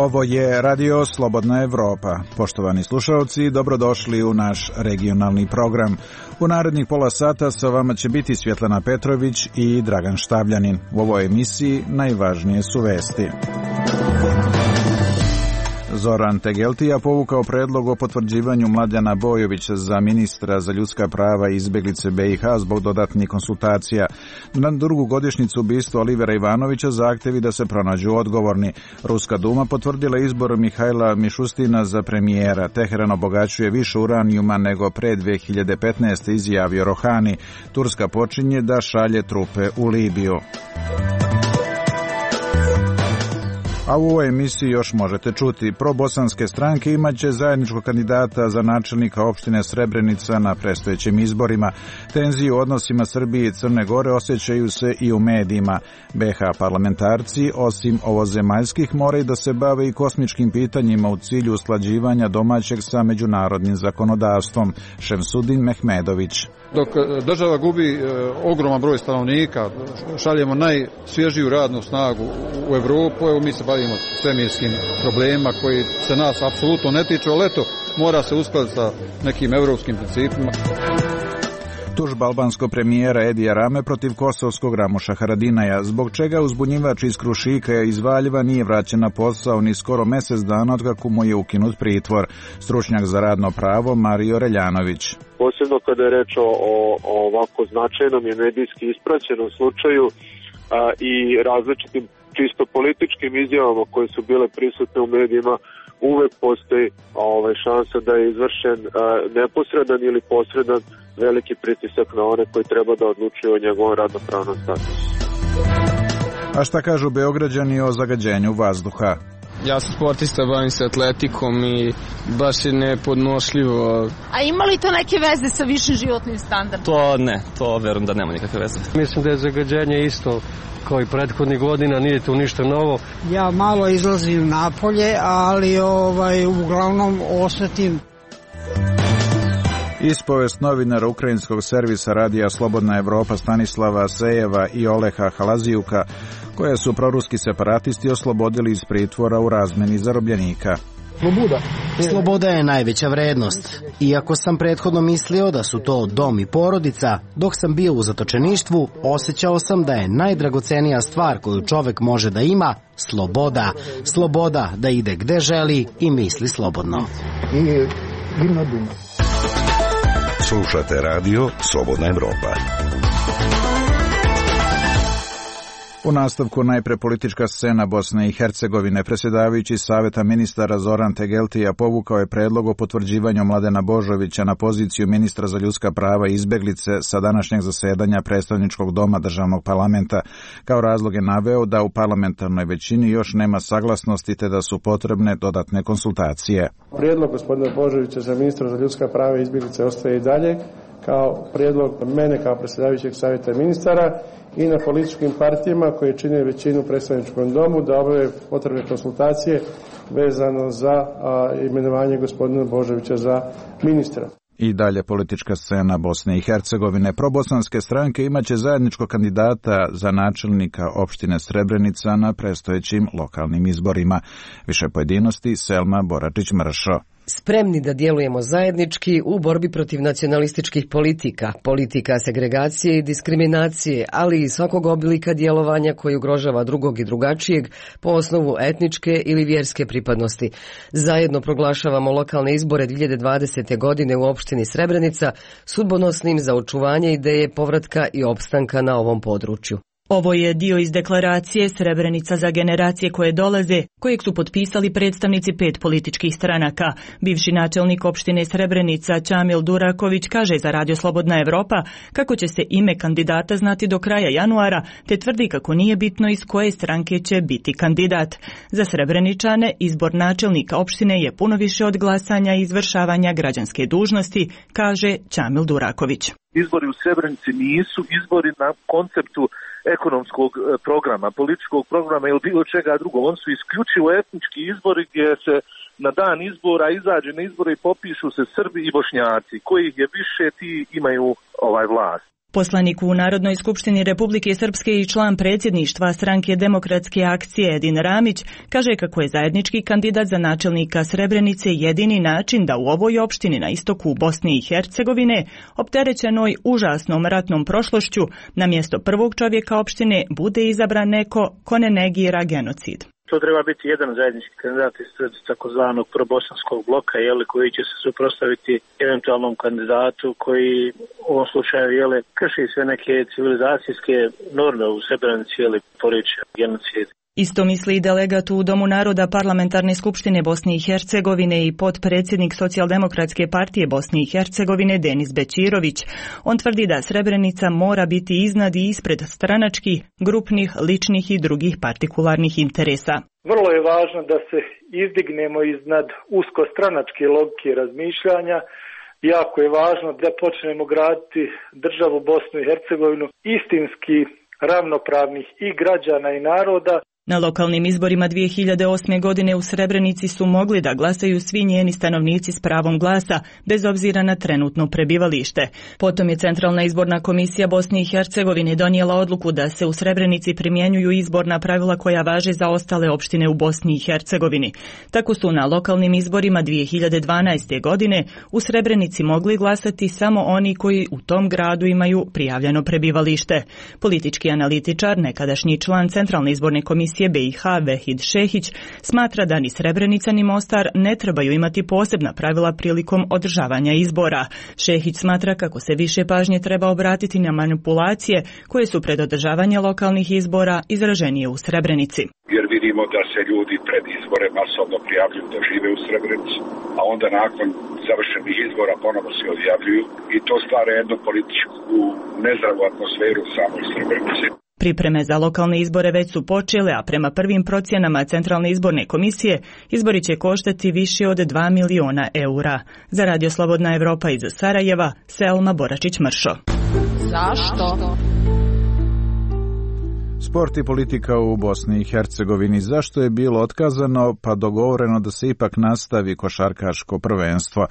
Ovo je Radio Slobodna Evropa. Poštovani slušalci, dobrodošli u naš regionalni program. U narednih pola sata sa vama će biti Svjetlana Petrović i Dragan Štavljanin. U ovoj emisiji najvažnije su vesti. Zoran Tegeltija povukao predlog o potvrđivanju Mladena Bojovića za ministra za ljudska prava i izbjeglice BiH zbog dodatnih konsultacija. Na drugu godišnjicu ubistva Olivera Ivanovića zahtjevi da se pronađu odgovorni. Ruska duma potvrdila izbor Mihajla Mišustina za premijera. Teheran obogaćuje više uranijuma nego pre 2015. izjavio Rohani. Turska počinje da šalje trupe u Libiju. A u ovoj emisiji još možete čuti. Probosanske stranke imaće zajedničkog kandidata za načelnika opštine Srebrenica na predstojećim izborima. Tenzije u odnosima Srbije i Crne Gore osjećaju se i u medijima. BiH parlamentarci, osim ovozemaljskih, moraju da se bave i kosmičkim pitanjima u cilju usklađivanja domaćeg sa međunarodnim zakonodavstvom. Šemsudin Mehmedović. Dok država gubi ogroman broj stanovnika, šaljemo najsvježiju radnu snagu u Evropu, evo mi se bavimo svemirskim problemima koji se nas apsolutno ne tiču, ali eto, mora se uskladiti sa nekim evropskim principima. Tužba albanskog premijera Edija Rame protiv kosovskog Ramuša Haradinaja, zbog čega uzbunjivač iz Krušika iz Valjeva nije vraćen na posao ni skoro mjesec dana otkako mu je ukinut pritvor. Stručnjak za radno pravo Mario Reljanović. Posebno kada je reč o ovako značajnom i medijski ispraćenom slučaju i različitim čisto političkim izjavama koje su bile prisutne u medijima, uvek postoji šansa da je izvršen neposredan ili posredan veliki pritisak na one koji treba da odlučuju o njegovom radnopravnom statusu. A šta kažu Beograđani o zagađenju vazduha? Ja sam sportista, bavim se atletikom i baš je nepodnošljivo. A ima li to neke veze sa višim životnim standardom? To ne, to verujem da nema nikakve veze. Mislim da je zagađenje isto kao i prethodnih godina, nije tu ništa novo. Ja malo izlazim napolje, ali uglavnom osjetim. Ispovest novinara ukrajinskog servisa radija Slobodna Evropa Stanislava Sejeva i Oleha Halazijuka, koje su proruski separatisti oslobodili iz pritvora u razmeni zarobljenika. Sloboda je najveća vrednost. Iako sam prethodno mislio da su to dom i porodica, dok sam bio u zatočeništvu, osjećao sam da je najdragocenija stvar koju čovek može da ima sloboda. Sloboda da ide gde želi i misli slobodno. Slušate radio Slobodna Evropa. U nastavku najpre politička scena Bosne i Hercegovine. Predsjedavajući Saveta ministara Zoran Tegeltija povukao je predlog o potvrđivanju Mladena Božovića na poziciju ministra za ljudska prava i izbjeglice sa današnjeg zasedanja predstavničkog doma državnog parlamenta. Kao razlog je naveo da u parlamentarnoj većini još nema saglasnosti te da su potrebne dodatne konsultacije. Prijedlog gospodina Božovića za ministra za ljudska prava i izbjeglice ostaje i dalje kao prijedlog mene kao predsjedavajućeg Savjeta ministara i na političkim partijama koje čine većinu u predstavničkom domu da obave potrebne konsultacije vezano za imenovanje gospodina Božovića za ministra. I dalje politička scena Bosne i Hercegovine. Probosanske stranke imaće zajedničkog kandidata za načelnika opštine Srebrenica na predstojećim lokalnim izborima. Više pojedinosti Selma Boračić-Mršo. Spremni da djelujemo zajednički u borbi protiv nacionalističkih politika, politika segregacije i diskriminacije, ali i svakog oblika djelovanja koji ugrožava drugog i drugačijeg po osnovu etničke ili vjerske pripadnosti. Zajedno proglašavamo lokalne izbore 2020. godine u opštini Srebrenica sudbonosnim za očuvanje ideje povratka i opstanka na ovom području. Ovo je dio iz deklaracije Srebrenica za generacije koje dolaze, kojeg su potpisali predstavnici 5 političkih stranaka. Bivši načelnik opštine Srebrenica Čamil Duraković kaže za Radio Slobodna Evropa kako će se ime kandidata znati do kraja januara, te tvrdi kako nije bitno iz koje stranke će biti kandidat. Za Srebreničane izbor načelnika opštine je puno više od glasanja i izvršavanja građanske dužnosti, kaže Čamil Duraković. Izbori u Srebrenici nisu izbori na konceptu ekonomskog programa, političkog programa ili bilo čega drugog. On su isključivo etnički izbori gdje se na dan izbora izađe na izbore i popišu se Srbi i Bošnjaci. Kojih je više, ti imaju vlast. Poslanik u Narodnoj skupštini Republike Srpske i član predsjedništva stranke Demokratske akcije Edin Ramić kaže kako je zajednički kandidat za načelnika Srebrenice jedini način da u ovoj opštini na istoku Bosne i Hercegovine, opterećenoj užasnom ratnom prošlošću, na mjesto prvog čovjeka opštine bude izabran neko ko ne negira genocid. To treba biti jedan zajednički kandidat iz takozvanog probosanskog bloka, koji će se suprotstaviti eventualnom kandidatu koji u ovom slučaju krši sve neke civilizacijske norme u Srebrenici, poriče genocid. Isto misli i delegat u Domu naroda Parlamentarne skupštine Bosne i Hercegovine i potpredsjednik Socijaldemokratske partije Bosne i Hercegovine Denis Bećirović. On tvrdi da Srebrenica mora biti iznad i ispred stranačkih, grupnih, ličnih i drugih partikularnih interesa. Vrlo je važno da se izdignemo iznad uskostranačke logike razmišljanja. Jako je važno da počnemo graditi državu Bosnu i Hercegovinu istinski ravnopravnih i građana i naroda. Na lokalnim izborima 2008. godine u Srebrenici su mogli da glasaju svi njeni stanovnici s pravom glasa, bez obzira na trenutno prebivalište. Potom je Centralna izborna komisija Bosne i Hercegovine donijela odluku da se u Srebrenici primjenjuju izborna pravila koja važe za ostale opštine u Bosni i Hercegovini. Tako su na lokalnim izborima 2012. godine u Srebrenici mogli glasati samo oni koji u tom gradu imaju prijavljeno prebivalište. Politički analitičar, nekadašnji član Centralne izborne komisije BiH Vehid Šehić smatra da ni Srebrenica ni Mostar ne trebaju imati posebna pravila prilikom održavanja izbora. Šehić smatra kako se više pažnje treba obratiti na manipulacije koje su pred održavanje lokalnih izbora izraženije u Srebrenici. Jer vidimo da se ljudi pred izbore masovno prijavljuju da žive u Srebrenici, a onda nakon završenih izbora ponovo se odjavljuju i to stvara jednu političku nezdravu atmosferu u samoj Srebrenici. Pripreme za lokalne izbore već su počele, a prema prvim procjenama Centralne izborne komisije izbori će koštati više od 2 miliona eura. Za Radio Slobodna Evropa iz Sarajeva, Selma Boračić-Mršo. Zašto? Sport i politika u Bosni i Hercegovini. Zašto je bilo otkazano pa dogovoreno da se ipak nastavi košarkaško prvenstvo?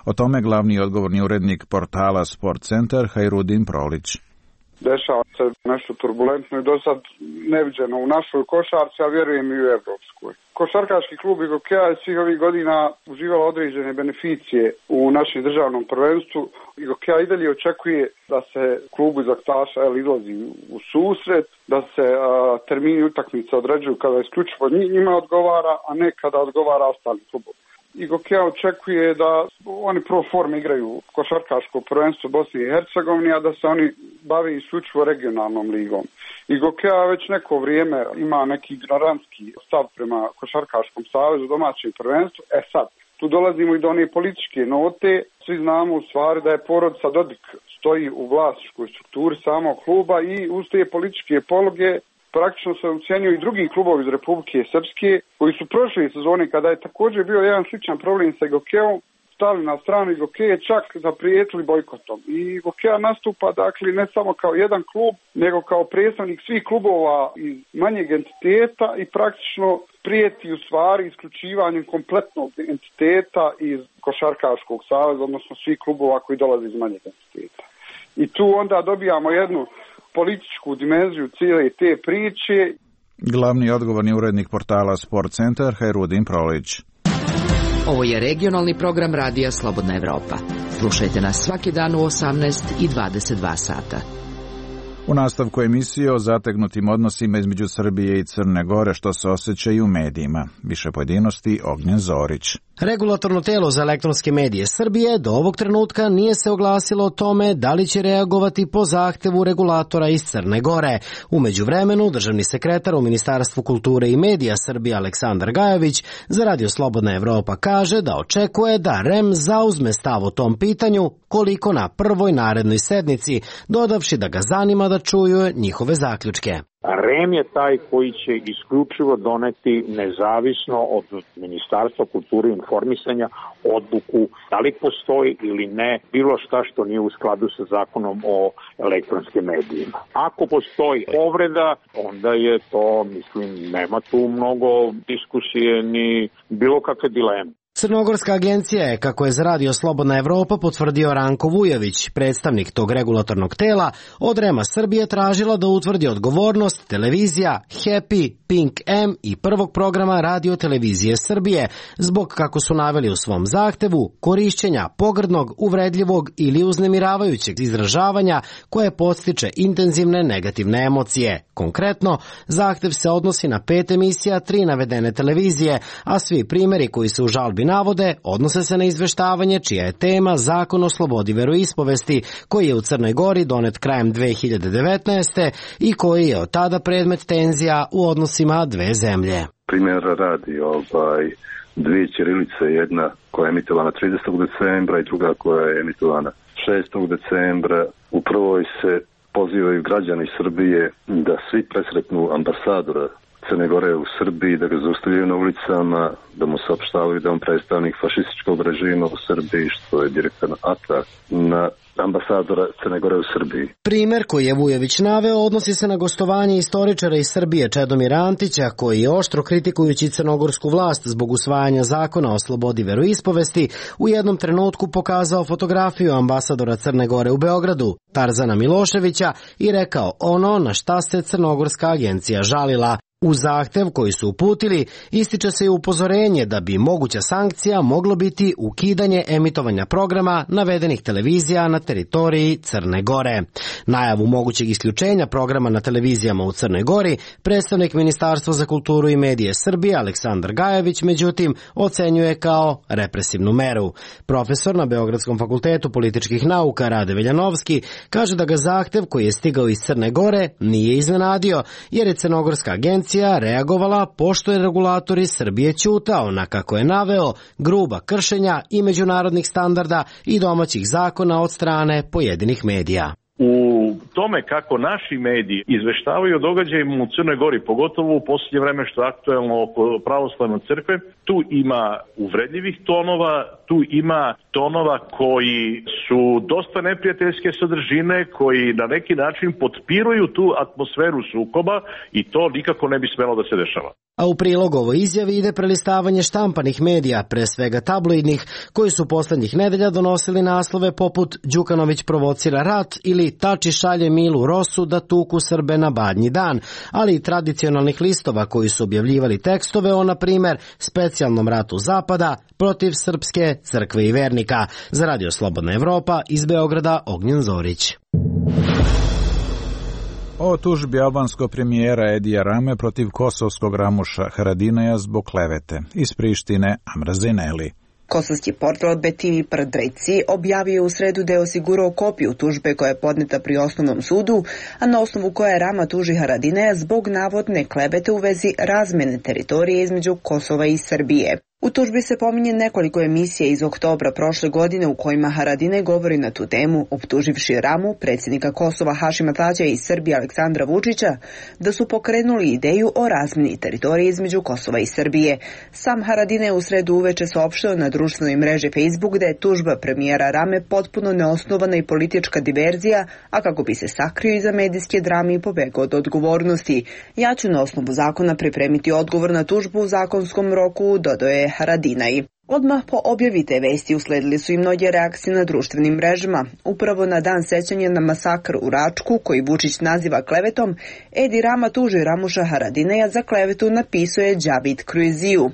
O tome glavni odgovorni urednik portala Sport Centar Hajrudin Prolić. Dešava se nešto turbulentno i do sad neviđeno u našoj košarci, a vjerujem i u evropskoj. Košarkaški klub Igokeja je svih ovih godina uživala određene beneficije u našem državnom prvenstvu. Igokeja i dalje očekuje da se klubu iz Aktaša izlazi u susret, da se termini utakmice određuju kada isključivo njima odgovara, a ne kada odgovara ostali klubovi. Igokeja očekuje da oni pro forme igraju košarkaško prvenstvo Bosne i Hercegovine, a da se oni bave isključivo regionalnom ligom. Igokeja već neko vrijeme ima neki ignorantski stav prema košarkaškom savezu, domaćem prvenstvu. Sad, tu dolazimo i do one političke note. Svi znamo u stvari da je porodica Dodik stoji u vlasničkoj strukturi samog kluba i uz te političke pologe praktično se ucijenjuju i drugi klubovi iz Republike Srpske koji su prošle sezone kada je također bio jedan sličan problem sa Igokeom, stali na stranu Igokeje, čak zaprijetili bojkotom. I Igokeja nastupa dakle ne samo kao jedan klub, nego kao predstavnik svih klubova iz manjeg entiteta i praktično prijeti u stvari isključivanjem kompletnog entiteta iz Košarkaškog saveza, odnosno svih klubova koji dolaze iz manjeg entiteta. I tu onda dobijamo jednu političku dimenziju cijele te priče. Glavni odgovorni urednik portala Sport Centar Hajrudin Prolić. Ovo je regionalni program Radija Slobodna Evropa. Slušajte nas svaki dan u 18 i 22 sata. U nastavku emisije o zategnutim odnosima između Srbije i Crne Gore, što se osjeća i u medijima. Više pojedinosti Ognjen Zorić. Regulatorno telo za elektronske medije Srbije do ovog trenutka nije se oglasilo o tome da li će reagovati po zahtevu regulatora iz Crne Gore. U međuvremenu, državni sekretar u Ministarstvu kulture i medija Srbije Aleksandar Gajović za Radio Slobodna Evropa kaže da očekuje da REM zauzme stav o tom pitanju koliko na prvoj narednoj sednici, dodavši da ga zanima da čuju njihove zaključke. REM je taj koji će isključivo doneti nezavisno od Ministarstva kulture i informisanja odluku da li postoji ili ne bilo šta što nije u skladu sa zakonom o elektronskim medijima. Ako postoji povreda, onda je to, mislim, nema tu mnogo diskusije ni bilo kakve dileme. Crnogorska agencija je, kako je za Radio Slobodna Evropa potvrdio Ranko Vujović, predstavnik tog regulatornog tela, od REM-a Srbije tražila da utvrdi odgovornost televizija Happy, Pink M i prvog programa Radio televizije Srbije zbog, kako su naveli u svom zahtevu, korišćenja pogrdnog, uvredljivog ili uznemiravajućeg izražavanja koje podstiče intenzivne negativne emocije. Konkretno, zahtev se odnosi na 5 emisija 3 navedene televizije, a svi primjeri koji se u žalbi navode odnose se na izveštavanje čija je tema Zakon o slobodi veroispovesti, koji je u Crnoj Gori donet krajem 2019. i koji je od tada predmet tenzija u odnosima dve zemlje. Primjera radi dvije ćirilice, jedna koja je emitovana 30. decembra i druga koja je emitovana 6. decembra. U prvoj se pozivaju građani Srbije da svi presretnu ambasadora Crne Gore u Srbiji, da ga zaustavljaju na ulicama, da mu saopštavaju da on predstavnik fašističkog režima u Srbiji, što je direktan atak na ambasadora Crne Gore u Srbiji. Primer koji je Vujović naveo odnosi se na gostovanje istoričara iz Srbije Čedomira Antića, koji je oštro kritikujući crnogorsku vlast zbog usvajanja zakona o slobodi veroispovesti u jednom trenutku pokazao fotografiju ambasadora Crne Gore u Beogradu, Tarzana Miloševića, i rekao ono na šta se Crnogorska agencija žalila. U zahtev koji su uputili ističe se i upozorenje da bi moguća sankcija moglo biti ukidanje emitovanja programa navedenih televizija na teritoriji Crne Gore. Najavu mogućeg isključenja programa na televizijama u Crnoj Gori predstavnik Ministarstva za kulturu i medije Srbije Aleksandar Gajević međutim ocenjuje kao represivnu meru. Profesor na Beogradskom fakultetu političkih nauka Rade Veljanovski kaže da ga zahtev koji je stigao iz Crne Gore nije iznenadio jer je Crnogorska agencija reagovala pošto je regulator iz Srbije ćutao na, kako je naveo, gruba kršenja i međunarodnih standarda i domaćih zakona od strane pojedinih medija. U tome kako naši mediji izveštavaju o događajima u Crnoj Gori, pogotovo u posljednje vreme što je aktuelno oko pravoslavne crkve, tu ima uvredljivih tonova, tu ima tonova koji su dosta neprijateljske sadržine, koji na neki način potpiruju tu atmosferu sukoba i to nikako ne bi smelo da se dešava. A u prilog ovoj izjavi ide prelistavanje štampanih medija, pre svega tabloidnih, koji su poslednjih nedelja donosili naslove poput Đukanović provocira rat ili Tači šalje Milu Rosu da tuku Srbe na Badnji dan, ali i tradicionalnih listova koji su objavljivali tekstove o, na primer, specijalnom ratu Zapada protiv Srpske crkve i vernika. Za Radio Slobodna Evropa iz Beograda Ognjen Zorić. O tužbi albanskog premijera Edija Rame protiv kosovskog Ramuša Haradinaja zbog klevete. Iz Prištine Amra Zineli. Kosovski portal BTV Prdreci objavio u sredu da je osigurao kopiju tužbe koja je podneta pri osnovnom sudu, a na osnovu koje Rama tuži Haradinaja zbog navodne klevete u vezi razmene teritorije između Kosova i Srbije. U tužbi se pominje nekoliko emisija iz oktobra prošle godine u kojima Haradinaj govori na tu temu, optuživši Ramu, predsjednika Kosova Hašima Tađa i Srbije Aleksandra Vučića, da su pokrenuli ideju o razmeni teritorije između Kosova i Srbije. Sam Haradinaj u sredu uveče saopštio na društvenoj mreži Facebook da je tužba premijera Rame potpuno neosnovana i politička diverzija, a kako bi se sakrio iza medijske drame i pobegao od odgovornosti. Ja ću na osnovu zakona pripremiti odgovor na tužbu u zakonskom roku, dodao je Haradinaj. Odmah po objavi te vesti usledili su i mnoge reakcije na društvenim mrežama. Upravo na dan sećanja na masakr u Račku, koji Vučić naziva klevetom, Edi Rama tuži Ramuša Haradinaja za klevetu, napisao je Đavid Kruiziju.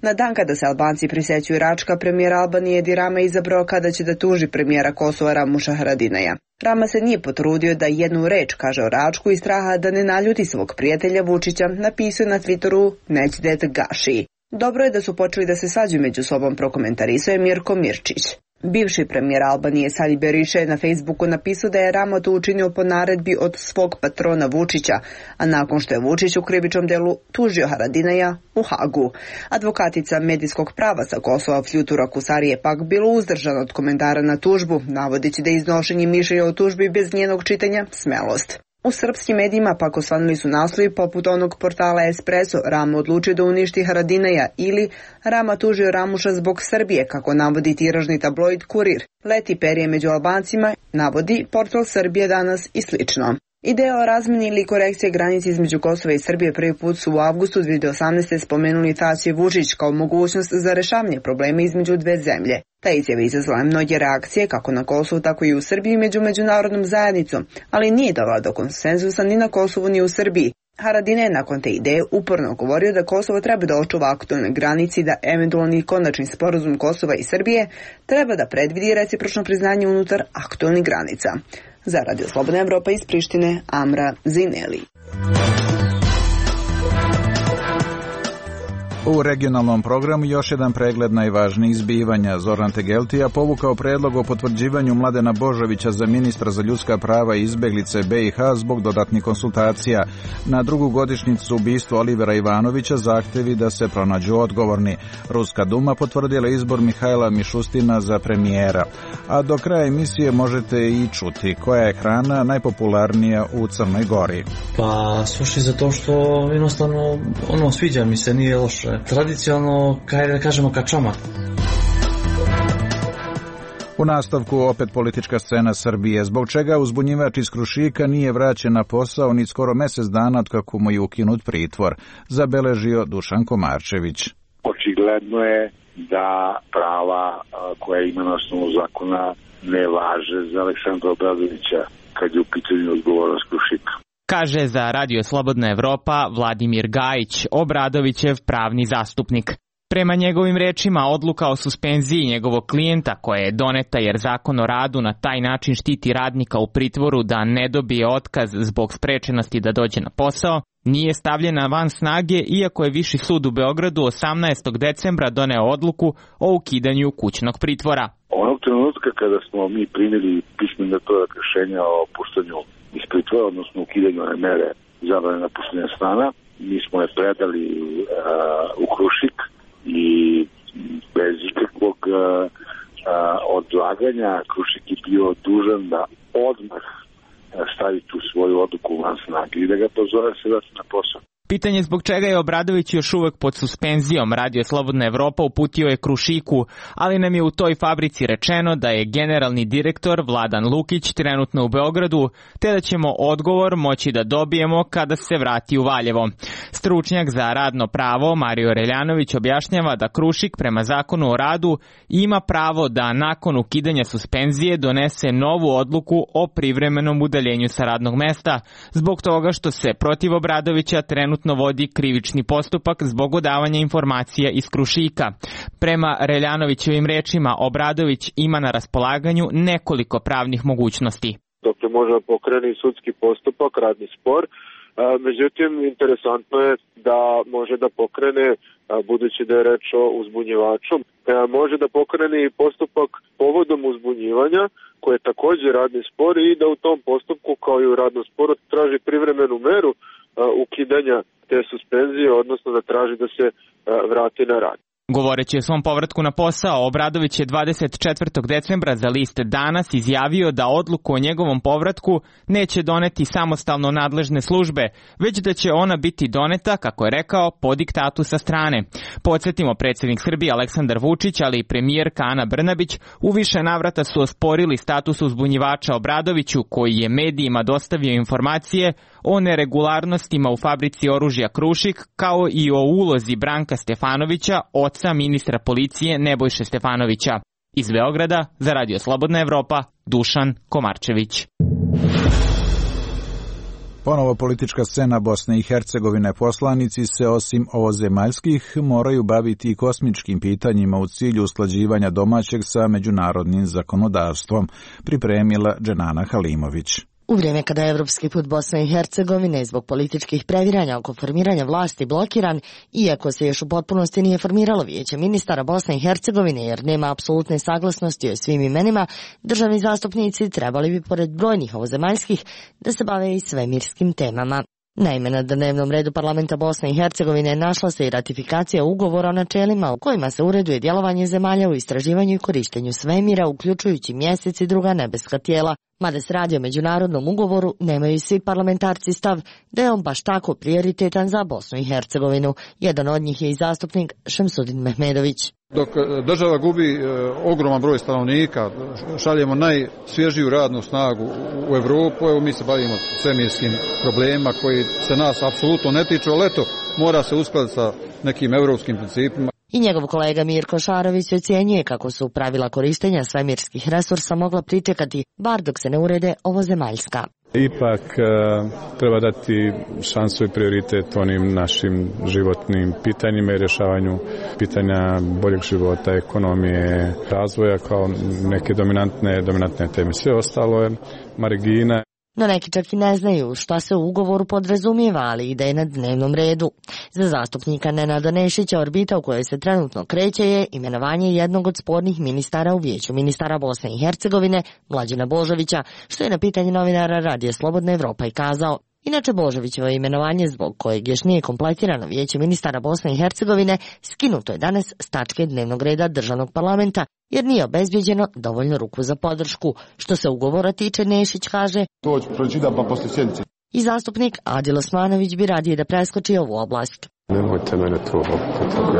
Na dan kada se Albanci prisećuju Račka, premijer Albanije Edi Rama izabrao kada će da tuži premijera Kosova Ramuša Haradinaja. Rama se nije potrudio da jednu reč kaže o Račku i straha da ne naljuti svog prijatelja Vučića, napisao na Twitteru Nećdet Gaši. Dobro je da su počeli da se svađaju među sobom, prokomentarisao je Mirko Mirčić. Bivši premijer Albanije Sali Berisha je na Facebooku napisao da je Rama to učinio po naredbi od svog patrona Vučića, a nakon što je Vučić u krivičnom delu tužio Haradinaja u Hagu. Advokatica medijskog prava sa Kosova Fljutura Kusari je pak bilo uzdržana od komentara na tužbu, navodeći da je iznošenje mišljenja o tužbi bez njenog čitanja smelost. U srpskim medijima pak osvanuli su naslovi poput onog portala Espresso, Rama odlučio da uništi Haradinaja ili Rama tužio Ramuša zbog Srbije, kako navodi tiražni tabloid Kurir. Leti perje među Albancima, navodi portal Srbije danas i slično. Ideja o razmeni ili korekcije granice između Kosova i Srbije prvi put su u avgustu 2018. spomenuli Tadić i Vučić kao mogućnost za rešavanje problema između dve zemlje. Ta izjava izazvala mnoge reakcije kako na Kosovu, tako i u Srbiji među međunarodnom zajednicom, ali nije dovela do konsenzusa ni na Kosovu ni u Srbiji. Haradinaj je nakon te ideje uporno govorio da Kosovo treba da očuva aktualne granice i da eventualni konačni sporazum Kosova i Srbije treba da predvidi recipročno priznanje unutar aktualnih granica. Za Radio Slobodna Evropa iz Prištine, Amra Zineli. U regionalnom programu još jedan pregled najvažnijih zbivanja. Zoran Tegeltija povukao predlog o potvrđivanju Mladena Božovića za ministra za ljudska prava i izbeglice BiH zbog dodatnih konsultacija. Na drugu godišnjicu ubistva Olivera Ivanovića zahtevi da se pronađu odgovorni. Ruska Duma potvrdila izbor Mihajla Mišustina za premijera. A do kraja emisije možete i čuti koja je hrana najpopularnija u Crnoj Gori. Pa suši zato što jednostavno sviđa mi se, nije loše. Tradicionalno, da kažemo, kačamak. U nastavku opet politička scena Srbije. Zbog čega uzbunjivač iz Krušika nije vraćen na posao ni skoro mesec dana od kako mu je ukinut pritvor, zabeležio Dušan Komarčević. Očigledno je da prava koja ima na osnovu zakona ne važe za Aleksandra Obradovića kad je u pitanju odgovornost Krušika. Kaže za Radio Slobodna Evropa Vladimir Gajić, Obradovićev pravni zastupnik. Prema njegovim rečima, odluka o suspenziji njegovog klijenta koja je doneta jer Zakon o radu na taj način štiti radnika u pritvoru da ne dobije otkaz zbog sprečenosti da dođe na posao, nije stavljena van snage iako je Viši sud u Beogradu 18. decembra doneo odluku o ukidanju kućnog pritvora. Onog trenutka kada smo mi primili pismeno rešenja o puštanju iz pritvora, odnosno ukidanju mere zabrane napuštanja stana, mi smo je predali u Krušik i bez ikakvog odlaganja Krušik je bio dužan da odmah stavi tu svoju odluku van snage i da ga pozove se vrati na posao. Pitanje zbog čega je Obradović još uvek pod suspenzijom Radio Slobodna Evropa uputio je Krušiku, ali nam je u toj fabrici rečeno da je generalni direktor Vladan Lukić trenutno u Beogradu, te da ćemo odgovor moći da dobijemo kada se vrati u Valjevo. Stručnjak za radno pravo Mario Reljanović objašnjava da Krušik prema Zakonu o radu ima pravo da nakon ukidanja suspenzije donese novu odluku o privremenom udaljenju sa radnog mesta, zbog toga što se protiv Obradovića trenutno vodi krivični postupak zbog odavanja informacija iz Krušika. Prema Reljanovićevim rečima, Obradović ima na raspolaganju nekoliko pravnih mogućnosti. Dakle, može da pokrene sudski postupak, radni spor, međutim, interesantno je da može da pokrene, budući da je reč o uzbunjivaču, može da pokrene i postupak povodom uzbunjivanja, koje je također radni spor i da u tom postupku, kao i u radnom sporu, traži privremenu meru ukidanja te suspenzije, odnosno da traži da se vrati na rad. Govoreći o svom povratku na posao, Obradović je 24. decembra za list Danas izjavio da odluku o njegovom povratku neće doneti samostalno nadležne službe, već da će ona biti doneta, kako je rekao, po diktatu sa strane. Podsjetimo, predsjednik Srbije Aleksandar Vučić, ali i premijerka Ana Brnabić u više navrata su osporili status uzbunjivača Obradoviću, koji je medijima dostavio informacije o neregularnostima u fabrici oružja Krušik, kao i o ulozi Branka Stefanovića, oca ministra policije Nebojše Stefanovića. Iz Beograda, za Radio Slobodna Evropa, Dušan Komarčević. Ponovo politička scena Bosne i Hercegovine. Poslanici se osim ovozemaljskih moraju baviti i kosmičkim pitanjima u cilju usklađivanja domaćeg sa međunarodnim zakonodavstvom, pripremila Dženana Halimović. U vrijeme kada je evropski put Bosne i Hercegovine zbog političkih previranja oko formiranja vlasti blokiran, iako se još u potpunosti nije formiralo vijeće ministara Bosne i Hercegovine jer nema apsolutne saglasnosti o svim imenima, državni zastupnici trebali bi pored brojnih ovozemaljskih da se bave i svemirskim temama. Naime, na dnevnom redu parlamenta Bosne i Hercegovine našla se i ratifikacija ugovora o načelima u kojima se ureduje djelovanje zemalja u istraživanju i korištenju svemira, uključujući mjesec i druga nebeska tijela. Mada se radi o međunarodnom ugovoru, nemaju svi parlamentarci stav da je on baš tako prioritetan za Bosnu i Hercegovinu. Jedan od njih je i zastupnik Šemsudin Mehmedović. Dok država gubi ogroman broj stanovnika, šaljemo najsvježiju radnu snagu u Evropu, evo mi se bavimo svemirskim problemima koji se nas apsolutno ne tiču, ali eto, mora se uskladiti sa nekim evropskim principima. I njegov kolega Mirko Šarović ocjenjuje kako su pravila korištenja svemirskih resursa mogla pričekati, bar dok se ne urede ovozemaljska. Ipak treba dati šansu i prioritet onim našim životnim pitanjima i rješavanju pitanja boljeg života, ekonomije, razvoja kao neke dominantne teme. Sve ostalo je margina. No neki čak i ne znaju šta se u ugovoru podrazumijeva, ali ide je na dnevnom redu. Za zastupnika Nenada Nešića orbita u kojoj se trenutno kreće je imenovanje jednog od spornih ministara u Vijeću ministara Bosne i Hercegovine, Mlađana Božovića, što je na pitanje novinara Radija Slobodna Evropa i kazao. Inače, Božovićevo imenovanje, zbog kojeg još nije kompletirano Vijeće ministara Bosne i Hercegovine, skinuto je danas s tačke dnevnog reda državnog parlamenta, jer nije obezbjeđeno dovoljno ruku za podršku. Što se ugovora tiče, Nešić kaže, to ću pročitam pa poslije sjednice. I zastupnik Adil Osmanović bi radije da preskoči ovu oblast. Nemojte mene to,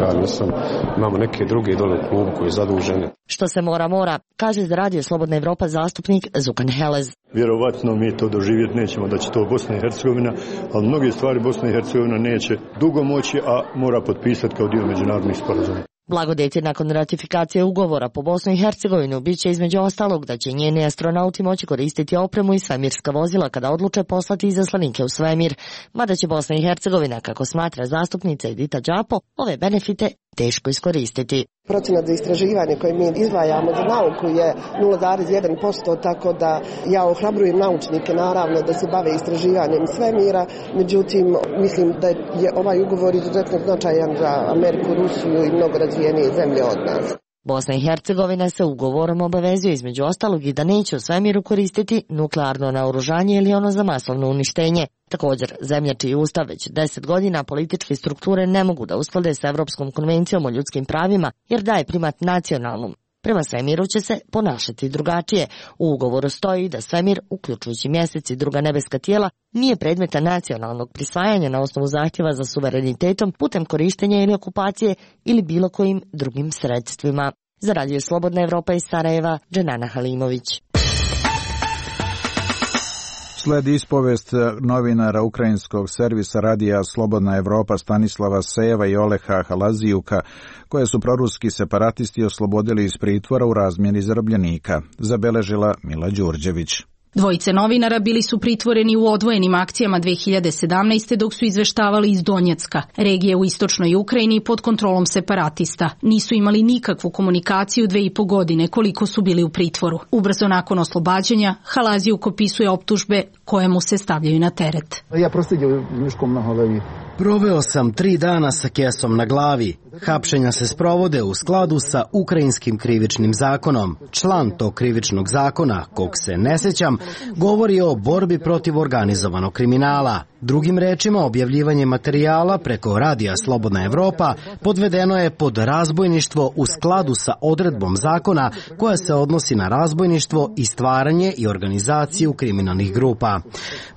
ja nisam, imamo neke druge dole u klubu koji je zaduženi. Što se mora, kaže za Radio Slobodna Evropa zastupnik Zukan Helez. Vjerovatno mi to doživjeti nećemo da će to Bosna i Hercegovina, ali mnoge stvari Bosna i Hercegovina neće dugo moći, a mora potpisati kao dio međunarodnih sporazuma. Blagodeti nakon ratifikacije ugovora po Bosnu i Hercegovinu biće između ostalog da će njeni astronauti moći koristiti opremu i svemirska vozila kada odluče poslati izaslanike u svemir, mada će Bosna i Hercegovina, kako smatra zastupnica Edita Đapo, ove benefite teško iskoristiti. Procenat za istraživanje koje mi izdvajamo za nauku je 0,1%, tako da ja ohrabrujem naučnike naravno da se bave istraživanjem svemira, međutim mislim da je ovaj ugovor izuzetno značajan za Ameriku, Rusiju i mnogo razvijenije zemlje od nas. Bosna i Hercegovina se ugovorom obavezuje između ostalog i da neće u svemiru koristiti nuklearno naoružanje ili ono za masovno uništenje. Također, zemlja čiji ustav već 10 godina političke strukture ne mogu da usklade s Evropskom konvencijom o ljudskim pravima jer daje primat nacionalnom. Prema svemiru će se ponašati drugačije. U ugovoru stoji da svemir, uključujući mjesec i druga nebeska tijela, nije predmeta nacionalnog prisvajanja na osnovu zahtjeva za suverenitetom putem korištenja ili okupacije ili bilo kojim drugim sredstvima. Za Radio Slobodna Evropa iz Sarajeva, Dženana Halimović. Sledi ispovest novinara ukrajinskog servisa Radija Slobodna Evropa Stanislava Sejeva i Oleha Halazijuka, koje su proruski separatisti oslobodili iz pritvora u razmjeni zarobljenika, zabeležila Mila Đurđević. Dvojice novinara bili su pritvoreni u odvojenim akcijama 2017. dok su izveštavali iz Donjecka, regije u istočnoj Ukrajini pod kontrolom separatista. Nisu imali nikakvu komunikaciju 2,5 godine koliko su bili u pritvoru. Ubrzo nakon oslobađanja, Halazijuk opisuje optužbe koje mu se stavljaju na teret. Ja prosjedio miškom na glavi. Proveo sam 3 dana sa kesom na glavi. Hapšenja se sprovode u skladu sa ukrajinskim krivičnim zakonom. Član tog krivičnog zakona, kog se ne sjećam, govori o borbi protiv organizovanog kriminala. Drugim rečima, objavljivanje materijala preko Radija Slobodna Evropa podvedeno je pod razbojništvo u skladu sa odredbom zakona koja se odnosi na razbojništvo i stvaranje i organizaciju kriminalnih grupa.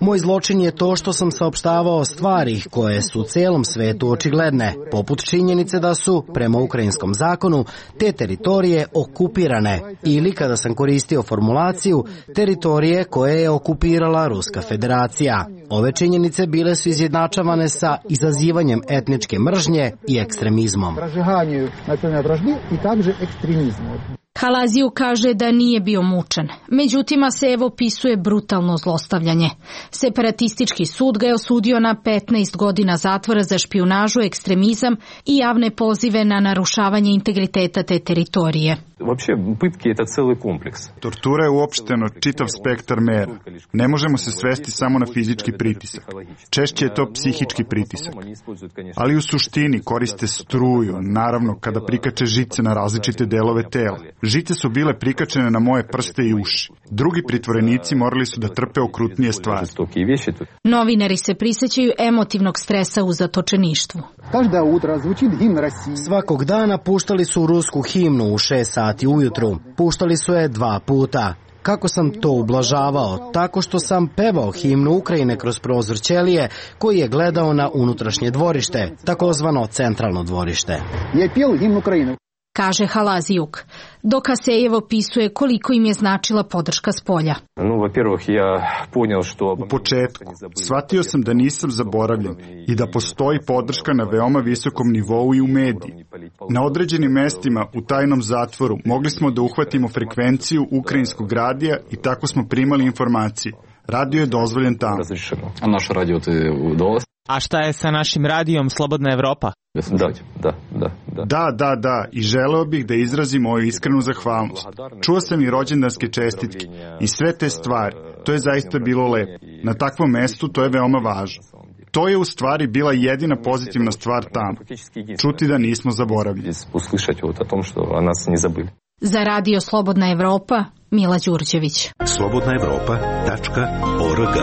Moj zločin je to što sam saopštavao stvari koje su u celom svetu očigledne, poput činjenice da su, prema ukrajinskom zakonu, te teritorije okupirane ili, kada sam koristio formulaciju, teritorije koje je okupirala Ruska federacija. Ove činjenice bile su izjednačavane sa izazivanjem etničke mržnje i ekstremizmom. Halaziju kaže da nije bio mučen. Međutim, Asejev opisuje brutalno zlostavljanje. Separatistički sud ga je osudio na 15 godina zatvora za špijunažu, ekstremizam i javne pozive na narušavanje integriteta te teritorije. Tortura je uopšteno čitav spektar mera. Ne možemo se svesti samo na fizički pritisak. Češće je to psihički pritisak. Ali u suštini koriste struju, naravno kada prikače žice na različite delove tela. Žice su bile prikačene na moje prste i uši. Drugi pritvorenici morali su da trpe okrutnije stvari. Novinari se prisjećaju emotivnog stresa u zatočeništvu. Svakog dana puštali su rusku himnu u 6 sati ujutru. Puštali su je 2 puta. Kako sam to ublažavao? Tako što sam pevao himnu Ukrajine kroz prozor ćelije koji je gledao na unutrašnje dvorište, takozvano centralno dvorište. Je pio himnu Ukrajine. kaže Halazijuk, dok Asejev opisuje koliko im je značila podrška spolja. U početku shvatio sam da nisam zaboravljen i da postoji podrška na veoma visokom nivou i u mediji. Na određenim mestima u tajnom zatvoru mogli smo da uhvatimo frekvenciju ukrajinskog radija i tako smo primali informacije. Radio je dozvoljen tamo. A naš radio te dolazi? A šta je sa našim radijom Slobodna Evropa? Da, i želeo bih da izrazim moju iskrenu zahvalnost. Čuo sam i rođendanske čestitke i sve te stvari. To je zaista bilo lepo. Na takvom mestu to je veoma važno. To je u stvari bila jedina pozitivna stvar tamo. Čuti da nismo zaboravljeni. Za radio Slobodna Evropa, Mila Đurđević. slobodnaevropa.org.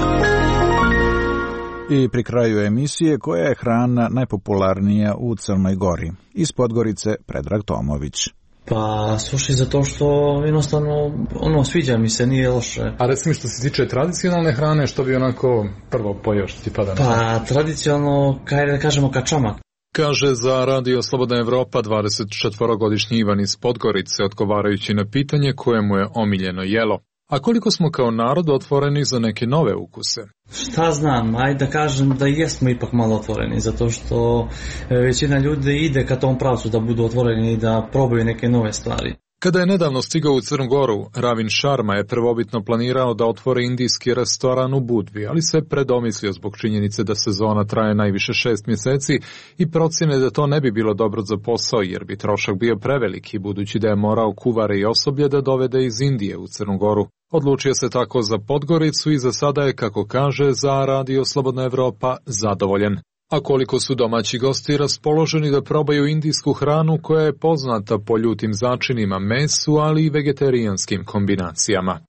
I pri kraju emisije, koja je hrana najpopularnija u Crnoj Gori? Iz Podgorice Predrag Tomović. Pa, slušaj, zato što jednostavno, sviđa mi se, nije loše. A recimo što se tiče tradicionalne hrane, što bi onako prvo pojeo što ti pada na pamet? Pa, tradicionalno, da kažemo kačamak. Kaže za radio Slobodna Evropa 24-godišnji Ivan iz Podgorice, odgovarajući na pitanje koje mu je omiljeno jelo. A koliko smo kao narod otvoreni za neke nove ukuse? Šta znam, ajde da kažem da jesmo ipak malo otvoreni, zato što većina ljudi ide ka tom pravcu da budu otvoreni i da probaju neke nove stvari. Kada je nedavno stigao u Crnu Goru, Ravin Sharma je prvobitno planirao da otvori indijski restoran u Budvi, ali se predomislio zbog činjenice da sezona traje najviše 6 mjeseci i procjene da to ne bi bilo dobro za posao jer bi trošak bio preveliki, budući da je morao kuvare i osoblje da dovede iz Indije u Crnu Goru. Odlučio se tako za Podgoricu i za sada je, kako kaže za radio Slobodna Evropa, zadovoljen. A koliko su domaći gosti raspoloženi da probaju indijsku hranu koja je poznata po ljutim začinima, mesu, ali i vegetarijanskim kombinacijama.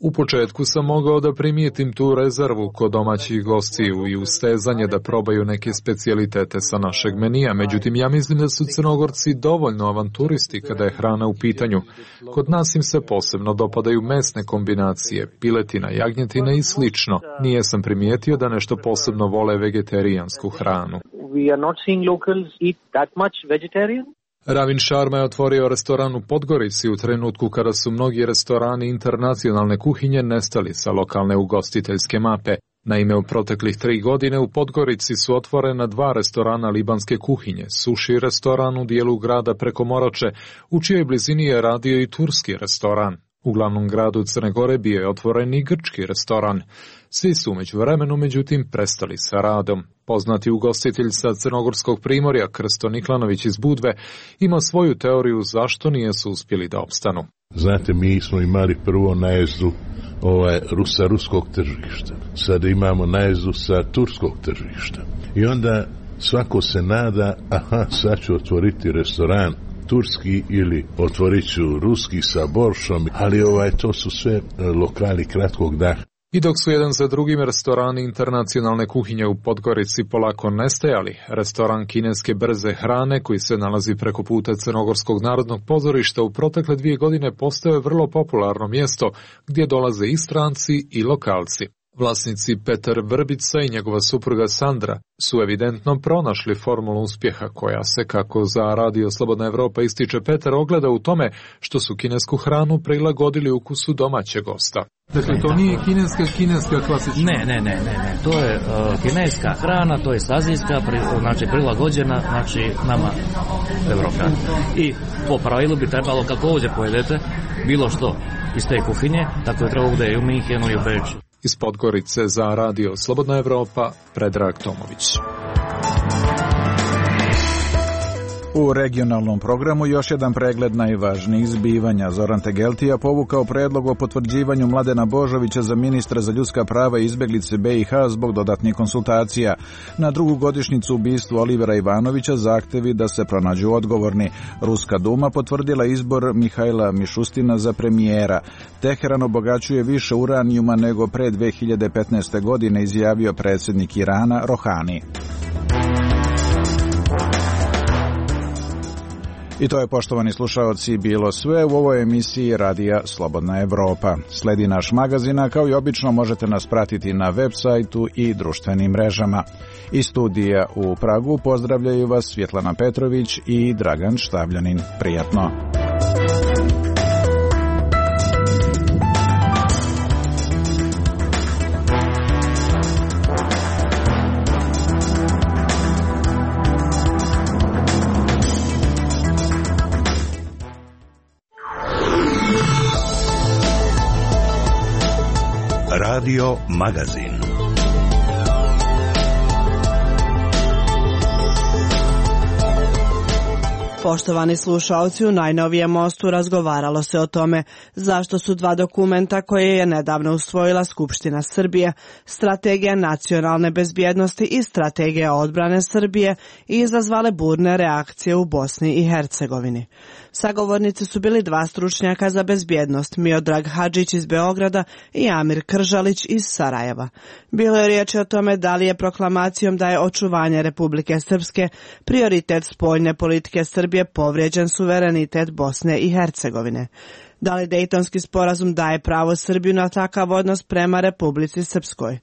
U početku sam mogao da primijetim tu rezervu kod domaćih gostiju i ustezanje da probaju neke specijalitete sa našeg menija, međutim ja mislim da su Crnogorci dovoljno avanturisti kada je hrana u pitanju. Kod nas im se posebno dopadaju mesne kombinacije, piletina, jagnjetina i slično. Nije sam primijetio da nešto posebno vole vegetarijansku hranu. Ravin Sharma je otvorio restoran u Podgorici u trenutku kada su mnogi restorani internacionalne kuhinje nestali sa lokalne ugostiteljske mape. Naime, u proteklih 3 godine u Podgorici su otvorena 2 restorana libanske kuhinje, suši restoran u dijelu grada preko Morače, u čijoj blizini je radio i turski restoran. U glavnom gradu Crne Gore bio je otvoren i grčki restoran. Svi su međuvremenu, međutim, prestali sa radom. Poznati ugostitelj sa crnogorskog primorja, Krsto Niklanović iz Budve, ima svoju teoriju zašto nijesu uspjeli da opstanu. Znate, mi smo imali prvo najezdu sa ruskog tržišta. Sada imamo najezdu sa turskog tržišta. I onda svako se nada, sad ću otvoriti restoran turski ili otvorit ću ruski sa boršom, ali to su sve lokali kratkog daha. I dok su jedan za drugim restorani internacionalne kuhinje u Podgorici polako nestajali, restoran kineske brze hrane koji se nalazi preko puta Crnogorskog narodnog pozorišta u protekle 2 godine postao je vrlo popularno mjesto gdje dolaze i stranci i lokalci. Vlasnici Petar Vrbica i njegova supruga Sandra su evidentno pronašli formulu uspjeha koja se, kako za radio Slobodna Evropa ističe Petar, ogleda u tome što su kinesku hranu prilagodili ukusu domaćeg gosta. Dakle, to nije kineska klasična? Ne. To je kineska hrana, to je azijska, prilagođena, nama Evropa. I po pravilu bi trebalo, kako ovdje pojedete, bilo što iz te kuhinje, tako je trebalo da je u Minhenu i u Beču. Iz Podgorice za radio Slobodna Evropa, Predrag Tomović. U regionalnom programu još jedan pregled najvažnijih zbivanja. Zoran Tegeltija povukao predlog o potvrđivanju Mladena Božovića za ministra za ljudska prava i izbeglice BiH zbog dodatnih konsultacija. Na drugu godišnjicu ubistva Olivera Ivanovića zahtevi da se pronađu odgovorni. Ruska duma potvrdila izbor Mihajla Mišustina za premijera. Teheran obogaćuje više uranijuma nego pre 2015. godine, izjavio predsjednik Irana Rohani. I to je, poštovani slušaoci, bilo sve u ovoj emisiji Radija Slobodna Evropa. Sledi naš magazin, a kao i obično možete nas pratiti na web sajtu i društvenim mrežama. Iz studija u Pragu pozdravljaju vas Svjetlana Petrović i Dragan Štavljanin. Prijatno! Radio Magazin. Poštovani slušaoci, u najnovijem Mostu razgovaralo se o tome zašto su dva dokumenta koje je nedavno usvojila Skupština Srbije, Strategija nacionalne bezbjednosti i Strategija odbrane Srbije, izazvale burne reakcije u Bosni i Hercegovini. Sagovornici su bili dva stručnjaka za bezbjednost, Miodrag Hadžić iz Beograda i Amir Kržalić iz Sarajeva. Bilo je riječi o tome da li je proklamacijom da je očuvanje Republike Srpske prioritet spoljne politike Srbije povrijeđen suverenitet Bosne i Hercegovine. Da li Dejtonski sporazum daje pravo Srbiju na takav odnos prema Republici Srpskoj?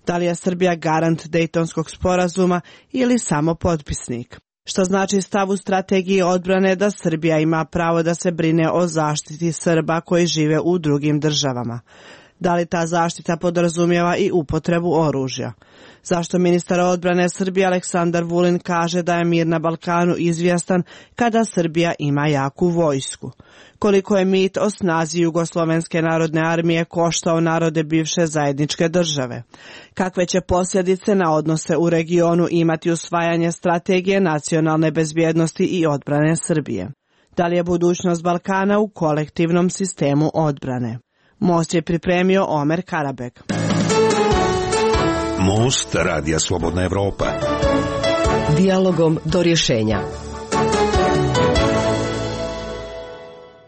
Da li je Srbija garant Dejtonskog sporazuma ili samo potpisnik? Što znači stav u strategiji odbrane da Srbija ima pravo da se brine o zaštiti Srba koji žive u drugim državama? Da li ta zaštita podrazumijeva i upotrebu oružja? Zašto ministar odbrane Srbije Aleksandar Vulin kaže da je mir na Balkanu izvjestan kada Srbija ima jaku vojsku? Koliko je mit o snazi Jugoslovenske narodne armije koštao narode bivše zajedničke države? Kakve će posljedice na odnose u regionu imati usvajanje strategije nacionalne bezbjednosti i odbrane Srbije? Da li je budućnost Balkana u kolektivnom sistemu odbrane? Most je pripremio Omer Karabek. Most Radija Slobodna Evropa. Dijalogom do rješenja.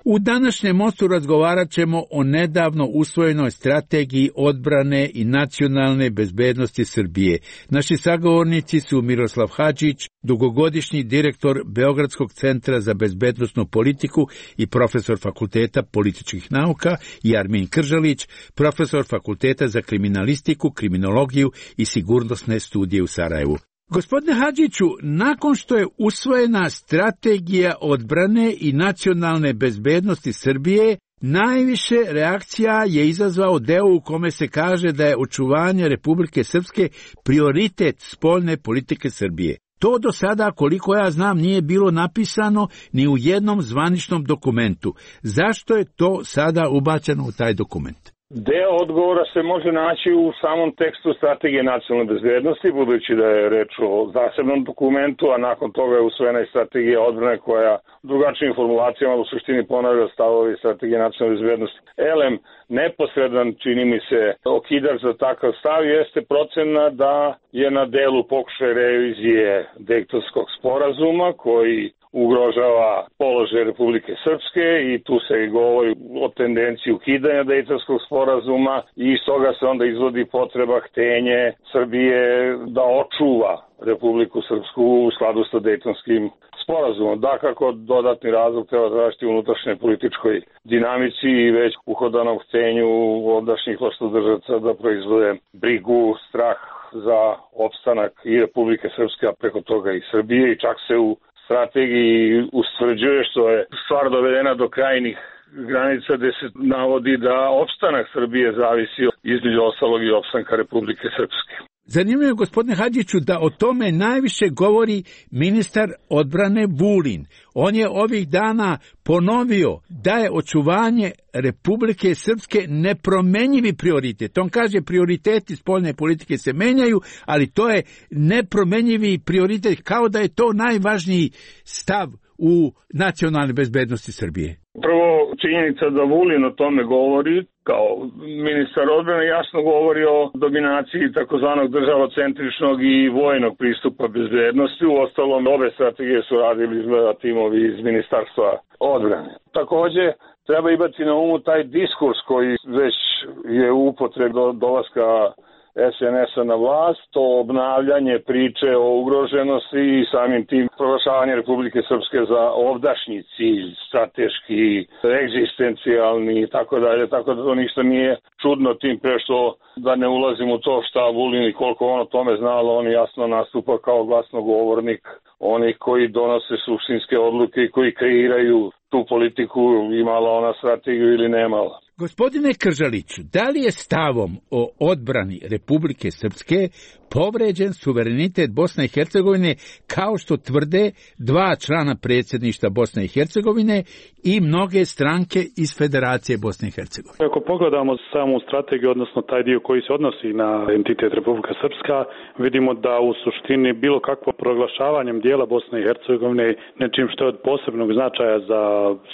U današnjem Mostu razgovarat ćemo o nedavno usvojenoj strategiji odbrane i nacionalne bezbednosti Srbije. Naši sagovornici su Miroslav Hadžić, dugogodišnji direktor Beogradskog centra za bezbednosnu politiku i profesor Fakulteta političkih nauka, i Armin Kržalić, profesor Fakulteta za kriminalistiku, kriminologiju i sigurnosne studije u Sarajevu. Gospodine Hadžiću, nakon što je usvojena strategija odbrane i nacionalne bezbednosti Srbije, najviše reakcija je izazvao deo u kome se kaže da je očuvanje Republike Srpske prioritet spoljne politike Srbije. To do sada, koliko ja znam, nije bilo napisano ni u jednom zvaničnom dokumentu. Zašto je to sada ubačeno u taj dokument? Deo odgovora se može naći u samom tekstu strategije nacionalne bezbednosti, budući da je reč o zasebnom dokumentu, a nakon toga je usvojena i strategija odbrane koja drugačijim formulacijama u suštini ponavlja stavovi strategije nacionalne bezbednosti. Elem, neposredan, čini mi se, okidač za takav stav jeste procena da je na delu pokušaj revizije Dejtonskog sporazuma koji ugrožava položaj Republike Srpske i tu se i govori o tendenciji ukidanja Dejtonskog sporazuma i iz toga se onda izvodi potreba, htenje Srbije da očuva Republiku Srpsku u skladu sa Dejtonskim sporazumom. Dakako, dodatni razlog treba tražiti u unutrašnjoj političkoj dinamici i već uhodanom htenju ondašnjih vlastodržaca da proizvode brigu, strah za opstanak i Republike Srpske, a preko toga i Srbije, i čak se u strategiji ustvrđuje, što je stvar dovedena do krajnih granica, gde se navodi da opstanak Srbije zavisi između ostalog i opstanka Republike Srpske. Zanimljivo je, gospodine Hadžiću, da o tome najviše govori ministar odbrane Vulin. On je ovih dana ponovio da je očuvanje Republike Srpske nepromenjivi prioritet. On kaže prioriteti spoljne politike se menjaju, ali to je nepromenjivi prioritet, kao da je to najvažniji stav u nacionalnoj bezbednosti Srbije. Prvo, činjenica da Vulin o tome govori, kao ministar odbrane, jasno govori o dominaciji takozvanog državocentričnog i vojnog pristupa bezbednosti. U ostalom, obe strategije su radili izgleda timovi iz Ministarstva odbrane. Takođe, treba imati na umu taj diskurs koji već je u upotrebi do dolaska SNS-a na vlast, to obnavljanje priče o ugroženosti i samim tim proglašavanje Republike Srpske za ovdašnji cilj, strateški, egzistencijalni i tako dalje, tako da to ništa nije čudno, tim pre što da ne ulazim u to šta Vulin i koliko on o tome znalo, on jasno nastupa kao glasnogovornik onih koji donose suštinske odluke i koji kreiraju tu politiku, imala ona strategiju ili nemala. Gospodine Kržaliću, da li je stavom o odbrani Republike Srpske povređen suverenitet Bosne i Hercegovine, kao što tvrde dva člana predsjedništva Bosne i Hercegovine i mnoge stranke iz Federacije Bosne i Hercegovine? Ako pogledamo samu strategiju, odnosno taj dio koji se odnosi na entitet Republika Srpska, vidimo da u suštini bilo kakvo proglašavanjem dijela Bosne i Hercegovine nečim što je od posebnog značaja za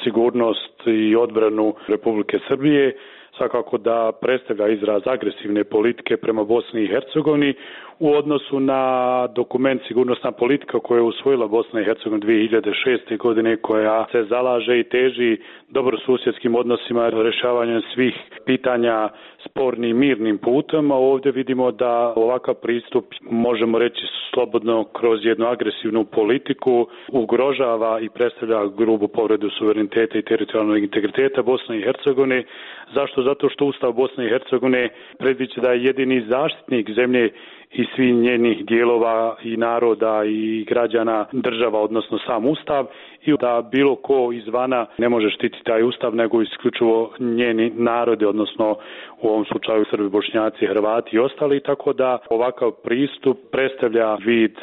sigurnost i odbranu Republike Srbije, svakako da predstavlja izraz agresivne politike prema Bosni i Hercegovini u odnosu na dokument sigurnosna politika koju je usvojila Bosna i Hercegovina 2006. godine, koja se zalaže i teži dobrosusjedskim odnosima, rješavanjem svih pitanja spornim mirnim putem, a ovdje vidimo da ovakav pristup, možemo reći slobodno kroz jednu agresivnu politiku, ugrožava i predstavlja grubu povredu suvereniteta i teritorijalnog integriteta Bosne i Hercegovine. Zašto? Zato što Ustav Bosne i Hercegovine predviđa da je jedini zaštitnik zemlje i svih njenih dijelova i naroda i građana država, odnosno sam Ustav, i da bilo ko izvana ne može štititi taj Ustav, nego isključivo njeni narodi, odnosno u ovom slučaju Srbi, Bošnjaci, Hrvati i ostali, tako da ovakav pristup predstavlja vid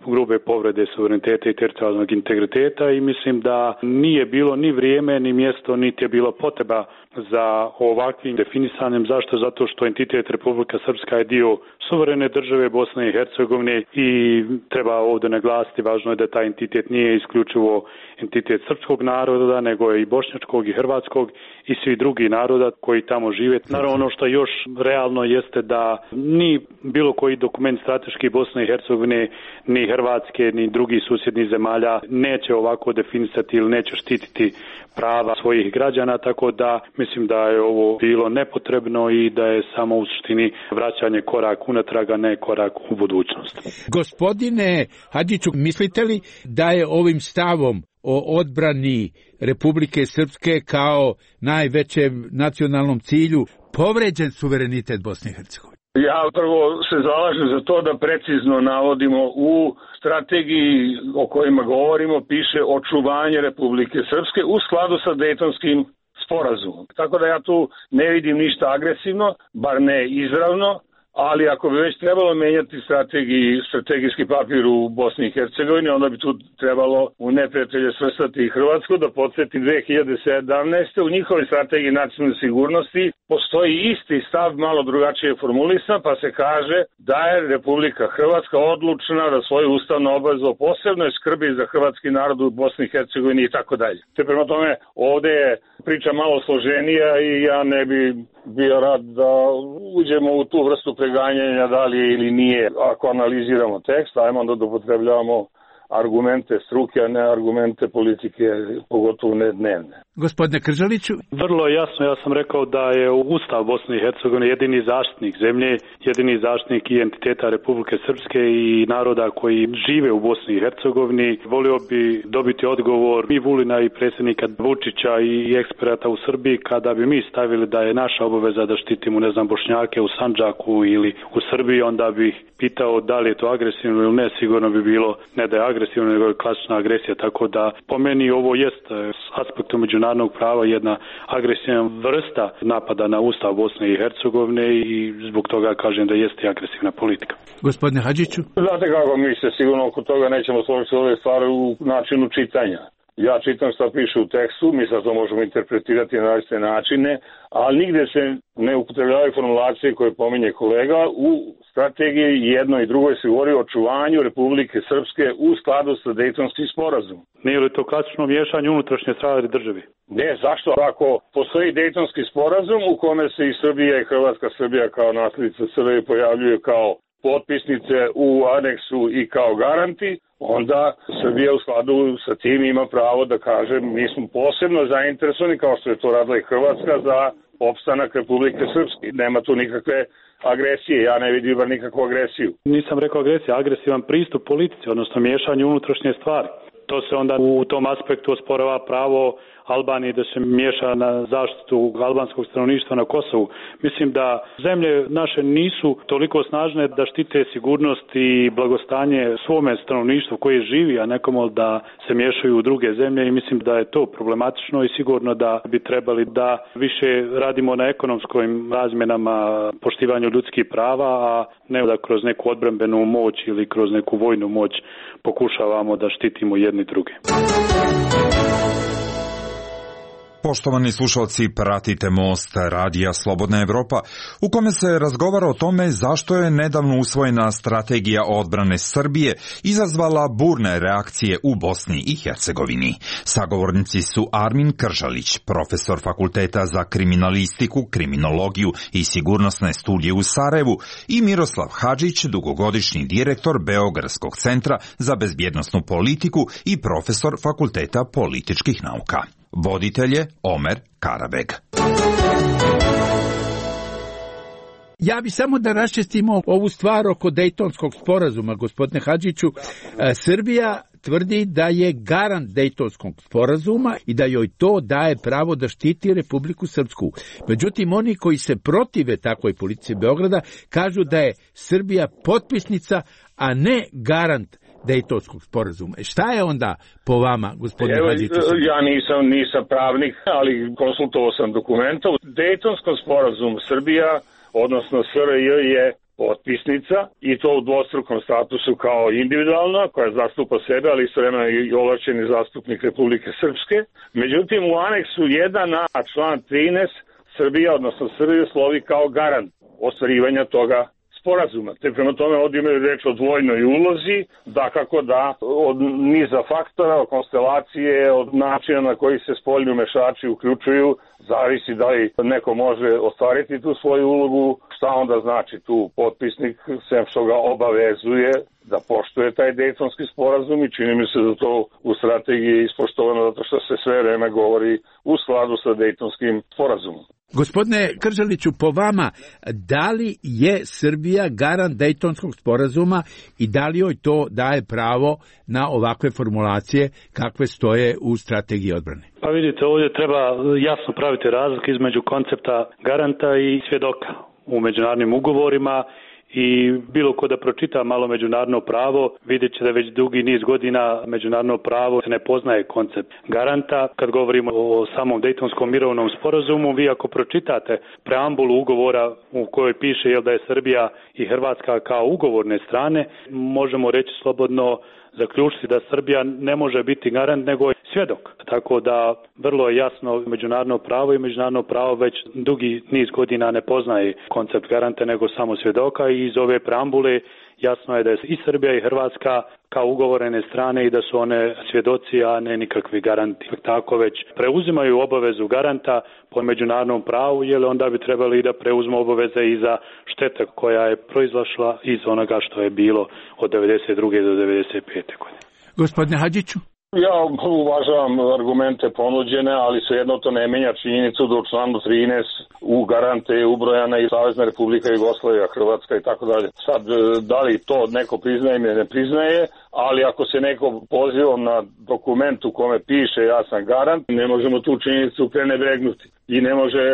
grube povrede suvereniteta i teritorijalnog integriteta i mislim da nije bilo ni vrijeme, ni mjesto, niti je bilo potreba za ovakvim definisanjem. Zašto? Zato što entitet Republika Srpska je dio suverene države Bosne i Hercegovine i treba ovdje naglasiti, važno je da taj entitet nije isključivo entitet srpskog naroda, nego je i bošnjačkog i hrvatskog i svi drugi naroda koji tamo žive. Naravno, ono što još realno jeste da ni bilo koji dokument strateški Bosne i Hercegovine, ni Hrvatske, ni drugih susjednih zemalja neće ovako definisati ili neće štititi prava svojih građana, tako da mislim da je ovo bilo nepotrebno i da je samo u suštini vraćanje korak unatrag, a ne korak u budućnost. Gospodine Hadžiću, mislite li da je ovim stavom o odbrani Republike Srpske kao najvećem nacionalnom cilju povređen suverenitet Bosne i Hercegovine? Ja prvo se zalažem za to da precizno navodimo u strategiji o kojima govorimo, piše očuvanje Republike Srpske u skladu sa Dejtonskim sporazumom. Tako da ja tu ne vidim ništa agresivno, bar ne izravno, ali ako bi već trebalo menjati strategijski papir u Bosni i Hercegovini, onda bi tu trebalo u neprijatelje svrstati i Hrvatsku. Da podsjetim, 2017. u njihovoj strategiji nacionalne sigurnosti postoji isti stav, malo drugačije formulisan, pa se kaže da je Republika Hrvatska odlučna da svoju ustavnu obavezu o posebnoj skrbi za hrvatski narod u Bosni i Hercegovini i tako dalje. Te prema tome, ovdje je priča malo složenija i ja ne bi bio rad da uđemo u tu vrstu preganjanja da li je ili nije. Ako analiziramo tekst, ajmo onda da upotrebljavamo argumente struke, a ne argumente politike, pogotovo ne dnevne. Gospodine Kržaliću? Vrlo jasno, ja sam rekao da je Ustav Bosne i Hercegovine jedini zaštitnik zemlje, jedini zaštitnik i entiteta Republike Srpske i naroda koji žive u Bosni i Hercegovini. Volio bi dobiti odgovor i Vulina i predsjednika Vučića i eksperata u Srbiji kada bi mi stavili da je naša obaveza da štitimo, Bošnjake u Sandžaku ili u Srbiji, onda bih pitao da li je to agresivno ili ne, sigurno bi bilo ne da je agresivno, nego je klasična agresija, tako da po meni ovo jest s aspektu međunarodnog prava jedna agresivna vrsta napada na Ustav Bosne i Hercegovine i zbog toga kažem da jeste agresivna politika. Gospodine Hadžiću? Znate kako, mi se sigurno oko toga nećemo složiti ove stvari u načinu čitanja. Ja čitam što piše u tekstu, mi sad to možemo interpretirati na različite načine, ali nigde se ne upotrebljavaju formulacije koje pominje kolega. U strategiji jednoj i drugoj se govori o očuvanju Republike Srpske u skladu sa Dejtonskim sporazumom. Nije li to klasično miješanje unutrašnje stvari državi? Ne, zašto? Ako postoji Dejtonski sporazum u kome se i Srbija i Hrvatska, Srbija kao naslednica Srbije pojavljuju kao potpisnice u aneksu i kao garanti, onda Srbija u skladu sa tim ima pravo da kaže mi smo posebno zainteresovani, kao što je to radila i Hrvatska, za opstanak Republike Srpske. Nema tu nikakve agresije, ja ne vidim bar nikakvu agresiju. Nisam rekao agresija, agresivan pristup politici, odnosno miješanje unutrašnje stvari. To se onda u tom aspektu osporava pravo Albaniji da se miješa na zaštitu albanskog stanovništva na Kosovu. Mislim da zemlje naše nisu toliko snažne da štite sigurnost i blagostanje svome stanovništvu koje živi, a nekomu da se miješaju u druge zemlje i mislim da je to problematično i sigurno da bi trebali da više radimo na ekonomskim razmjenama, poštivanju ljudskih prava, a ne da kroz neku odbrambenu moć ili kroz neku vojnu moć pokušavamo da štitimo jedni druge. Poštovani slušalci, pratite Most radija Slobodna Evropa, u kome se razgovara o tome zašto je nedavno usvojena strategija odbrane Srbije izazvala burne reakcije u Bosni i Hercegovini. Sagovornici su Armin Kržalić, profesor Fakulteta za kriminalistiku, kriminologiju i sigurnosne studije u Sarajevu, i Miroslav Hadžić, dugogodišnji direktor Beogradskog centra za bezbjednosnu politiku i profesor Fakulteta političkih nauka. Voditelj je Omer Karabeg. Ja bi samo da raščistimo ovu stvar oko Dejtonskog sporazuma, gospodine Hadžiću. Srbija tvrdi da je garant Dejtonskog sporazuma i da joj to daje pravo da štiti Republiku Srpsku. Međutim, oni koji se protive takvoj politici Beograda kažu da je Srbija potpisnica, a ne garant Dejtonskog sporazuma. Šta je onda po vama, gospodine Hadžiću? Ja nisam pravnik, ali konsultovao sam dokumenta. U Dejtonskom sporazumu Srbija, odnosno SRJ, je potpisnica i to u dvostrukom statusu kao individualna, koja zastupa sebe, ali istovremeno i ovlašćeni zastupnik Republike Srpske. Međutim, u aneksu 1a, član 13, Srbija, odnosno SRJ, slovi kao garant ostvarivanja toga sporazuma. Te prema tome ovdje imaju reč o dvojnoj ulozi, dakako da od niza faktora, od konstelacije, od načina na koji se spoljni umešači uključuju, zavisi da li neko može ostvariti tu svoju ulogu, šta onda znači tu potpisnik, sem što ga obavezuje da poštuje taj Dejtonski sporazum i čini mi se da to u strategiji ispoštovano zato što se sve vreme govori u skladu sa Dejtonskim sporazumom. Gospodine Kržaliću, po vama, da li je Srbija garant Dejtonskog sporazuma i da li joj to daje pravo na ovakve formulacije kakve stoje u strategiji odbrane? Pa vidite, ovdje treba jasno praviti razliku između koncepta garanta i svjedoka u međunarodnim ugovorima. I bilo ko da pročita malo međunarodno pravo, vidjet će da već dugi niz godina međunarodno pravo se ne poznaje koncept garanta. Kad govorimo o samom Dejtonskom mirovnom sporazumu, vi ako pročitate preambulu ugovora u kojoj piše da je Srbija i Hrvatska kao ugovorne strane, možemo reći slobodno zaključiti da Srbija ne može biti garant nego je svjedok. Tako da vrlo je jasno međunarodno pravo i međunarodno pravo već dugi niz godina ne poznaje koncept garanta nego samo svjedoka i iz ove preambule jasno je da je i Srbija i Hrvatska kao ugovorene strane i da su one svjedoci, a ne nikakvi garanti. Tako već preuzimaju obavezu garanta po međunarodnom pravu, jer onda bi trebali i da preuzmu obaveze i za štete koja je proizašla iz onoga što je bilo od 92. do 95. godine. Gospodine Hadžiću? Ja uvažavam argumente ponuđene, ali svejedno to ne menja činjenicu da u članu 13 u garante je ubrojana i Savezna Republika Jugoslavija, Hrvatska i tako dalje. Sad, da li to neko priznaje ili ne priznaje, ali ako se neko poziva na dokument u kome piše ja sam garant, ne možemo tu činjenicu prenebregnuti i ne može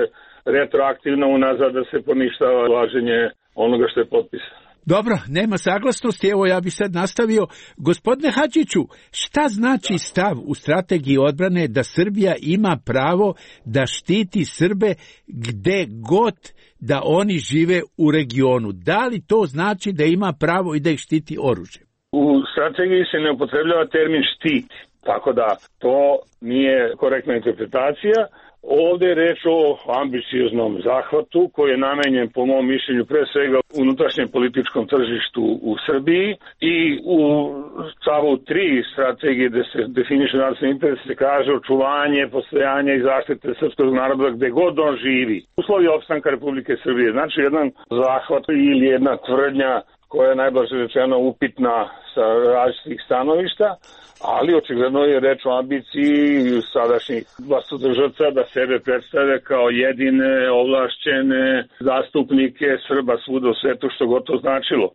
retroaktivno unazad da se poništava važenje onoga što je potpisano. Dobro, nema saglasnosti, evo ja bih sad nastavio. Gospodine Hadžiću, šta znači stav u strategiji odbrane da Srbija ima pravo da štiti Srbe gde god da oni žive u regionu? Da li to znači da ima pravo i da ih štiti oružjem? U strategiji se ne upotrebljava termin štiti, tako da to nije korektna interpretacija. Ovdje je reč o ambicioznom zahvatu koji je namenjen po mom mišljenju pre svega unutrašnjem političkom tržištu u Srbiji i u stavu 3 strategije gde se definiše nacionalni interes se kaže očuvanje, postojanje i zaštite srpskog naroda gde god on živi. Uslovi opstanka Republike Srbije, znači jedan zahvat ili jedna tvrdnja koja je najblaže rečeno upitna sa različitih stanovišta, ali očigledno je reč o ambiciji sadašnjih vlastodržavca da sebe predstave kao jedine ovlašćene zastupnike Srba svuda u svetu, što god to značilo.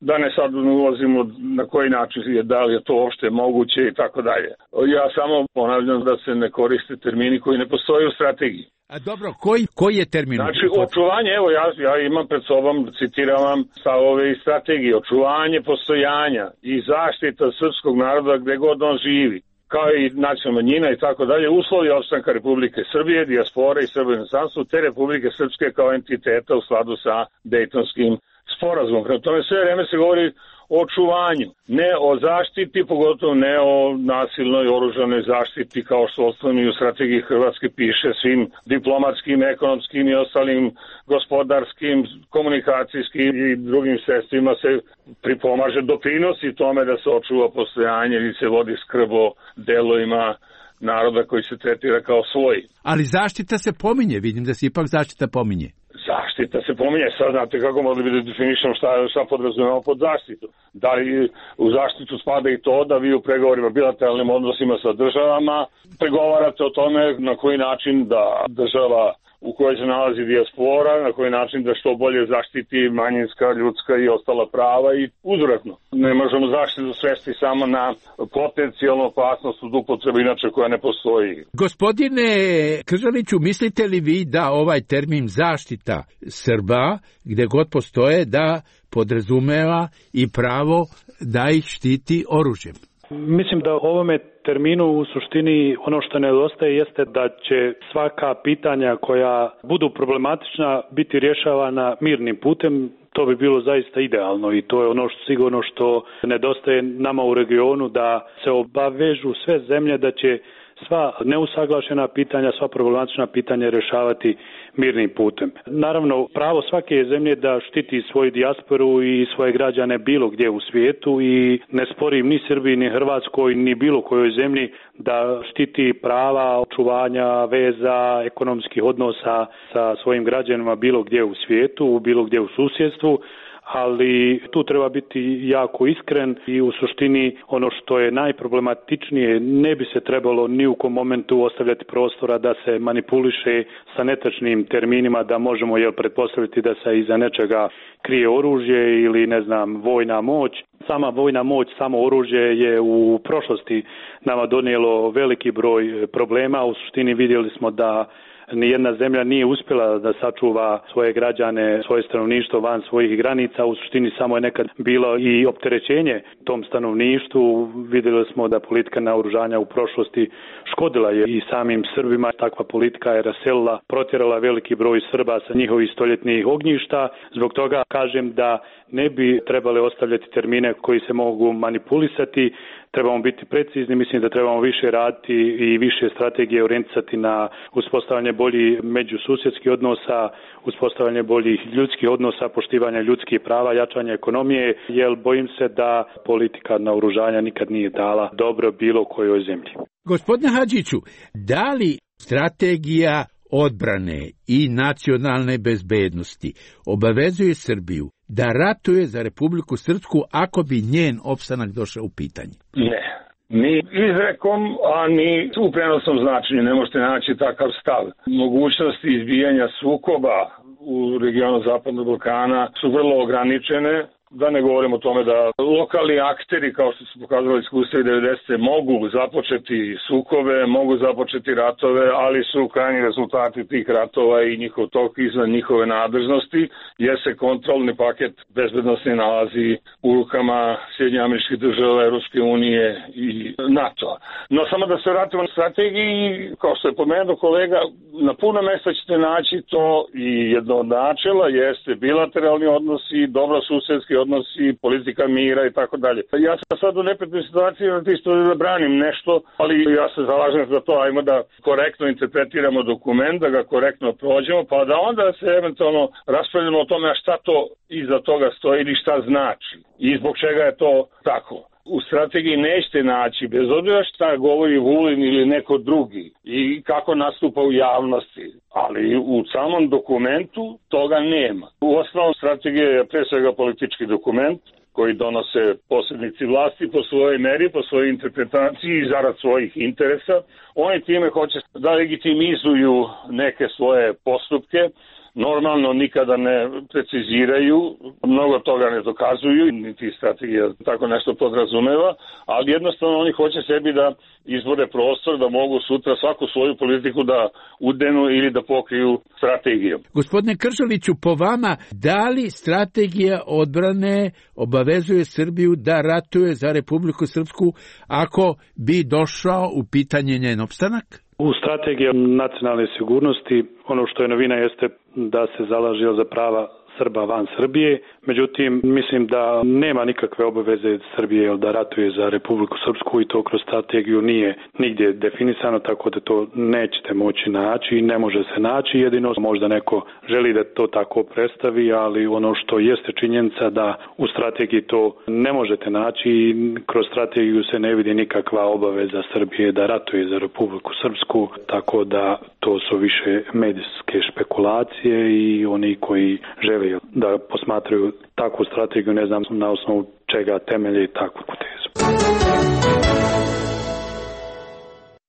Da ne sad ulazimo na koji način je, da li je to uopšte moguće i tako dalje. Ja samo ponavljam da se ne koriste termini koji ne postoje u strategiji. A dobro, koji je termin? Znači, očuvanje, evo ja imam pred sobom, citiram vam stavove iz strategije, očuvanje postojanja i zaštita srpskog naroda gde god on živi, kao i nacionalna manjina i tako dalje, uslovi opstanka Republike Srbije, dijaspore i Srba u inostranstvu, te Republike Srpske kao entiteta u skladu sa Dejtonskim sporazumom. Prema tome sve vreme se govori o očuvanju, ne o zaštiti, pogotovo ne o nasilnoj oružanoj zaštiti, kao što osnovno u strategiji Hrvatske piše, svim diplomatskim, ekonomskim i ostalim gospodarskim, komunikacijskim i drugim sredstvima se pripomaže, doprinosi tome da se očuva postojanje ili se vodi skrb o delovima naroda koji se tretira kao svoj. Ali zaštita se pominje, vidim da se ipak zaštita pominje. Zaštita se pominje, sad znate kako mogli bi da definišemo šta podrazumemo pod zaštitu. Da li u zaštitu spada i to da vi u pregovorima, bilateralnim odnosima sa državama pregovarate o tome na koji način da država u kojoj se nalazi dijaspora, na koji način da što bolje zaštiti manjinska, ljudska i ostala prava i uzvratno. Ne možemo zaštitu svesti samo na potencijalnu opasnost od upotrebe inače koja ne postoji. Gospodine Kržaliću, mislite li vi da ovaj termin zaštita Srba, gde god postoje, da podrazumeva i pravo da ih štiti oružjem? Mislim da ovome terminu u suštini ono što nedostaje jeste da će svaka pitanja koja budu problematična biti rješavana mirnim putem. To bi bilo zaista idealno i to je ono što sigurno što nedostaje nama u regionu, da se obavežu sve zemlje da će sva neusaglašena pitanja, sva problematična pitanja rješavati mirnim putem. Naravno, pravo svake zemlje da štiti svoju dijasporu i svoje građane bilo gdje u svijetu i ne sporim ni Srbiji, ni Hrvatskoj, ni bilo kojoj zemlji da štiti prava očuvanja veza, ekonomskih odnosa sa svojim građanima bilo gdje u svijetu, bilo gdje u susjedstvu, ali tu treba biti jako iskren i u suštini ono što je najproblematičnije, ne bi se trebalo ni u kom momentu ostavljati prostora da se manipuliše sa netačnim terminima, da možemo pretpostaviti da se iza nečega krije oružje ili vojna moć. Sama vojna moć, samo oružje je u prošlosti nama donijelo veliki broj problema. U suštini vidjeli smo da nijedna zemlja nije uspjela da sačuva svoje građane, svoje stanovništvo van svojih granica. U suštini samo je nekad bilo i opterećenje tom stanovništvu. Vidjeli smo da politika naoružanja u prošlosti škodila je i samim Srbima. Takva politika je raselila, protjerala veliki broj Srba sa njihovih stoljetnih ognjišta. Zbog toga kažem da ne bi trebali ostavljati termine koji se mogu manipulisati. Trebamo biti precizni, mislim da trebamo više raditi i više strategije orijentisati na uspostavljanje boljih međususjedskih odnosa, uspostavljanje boljih ljudskih odnosa, poštivanje ljudskih prava, jačanje ekonomije, jer bojim se da politika naoružanja nikad nije dala dobro bilo kojoj zemlji. Gospodine Hadžiću, da li strategija odbrane i nacionalne bezbednosti obavezuje Srbiju da ratuje za Republiku Srpsku ako bi njen opstanak došao u pitanje? Ne. Ni izrekom, a ni u prenosnom značenju ne možete naći takav stav. Mogućnosti izbijanja sukoba u regionu Zapadnog Balkana su vrlo ograničene. Da ne govorimo o tome da lokalni akteri, kao što su pokazali iskustva 90. mogu započeti sukobe, mogu započeti ratove, ali su krajnji rezultati tih ratova i njihov tok izvan njihove nadležnosti, jer se kontrolni paket bezbednosti nalazi u rukama Sjedinjenih Američkih Država, Europske unije i NATO-a. No samo da se vratimo na strategiji, kao što je pomenuo kolega, na puno mesta ćete naći to i jedno od načela jeste bilateralni odnosi, dobrosusedski odnosi, politika mira i tako dalje. Ja sam sad u neprijatnoj situaciji da branim nešto, ali ja se zalažem za to, ajmo da korektno interpretiramo dokument, da ga korektno prođemo, pa da onda se eventualno raspravljamo o tome šta to iza toga stoji ili šta znači i zbog čega je to tako. u strategiji nećete naći, bez obzira šta govori Vulin ili neko drugi i kako nastupa u javnosti, ali u samom dokumentu toga nema. U osnovu strategije je pre svega politički dokument koji donose posrednici vlasti po svojoj meri, po svojoj interpretaciji i zarad svojih interesa. Oni time hoće da legitimizuju neke svoje postupke, normalno nikada ne preciziraju, mnogo toga ne dokazuju, niti strategija tako nešto podrazumeva, ali jednostavno oni hoće sebi da izbore prostor da mogu sutra svaku svoju politiku da udenu ili da pokriju strategijom. Gospodine Kržaliću, po vama, da li strategija odbrane obavezuje Srbiju da ratuje za Republiku Srpsku ako bi došao u pitanje njen opstanak? U strategiji nacionalne sigurnosti ono što je novina jeste da se zalaže za prava Srba van Srbije, međutim mislim da nema nikakve obaveze Srbije da ratuje za Republiku Srpsku i to kroz strategiju nije nigdje definisano, tako da to nećete moći naći i ne može se naći, jedino možda neko želi da to tako predstavi, ali ono što jeste činjenica da u strategiji to ne možete naći i kroz strategiju se ne vidi nikakva obaveza Srbije da ratuje za Republiku Srpsku, tako da to su više medijske špekulacije i oni koji žele da posmatraju takvu strategiju, ne znam na osnovu čega temelje takvu tezu.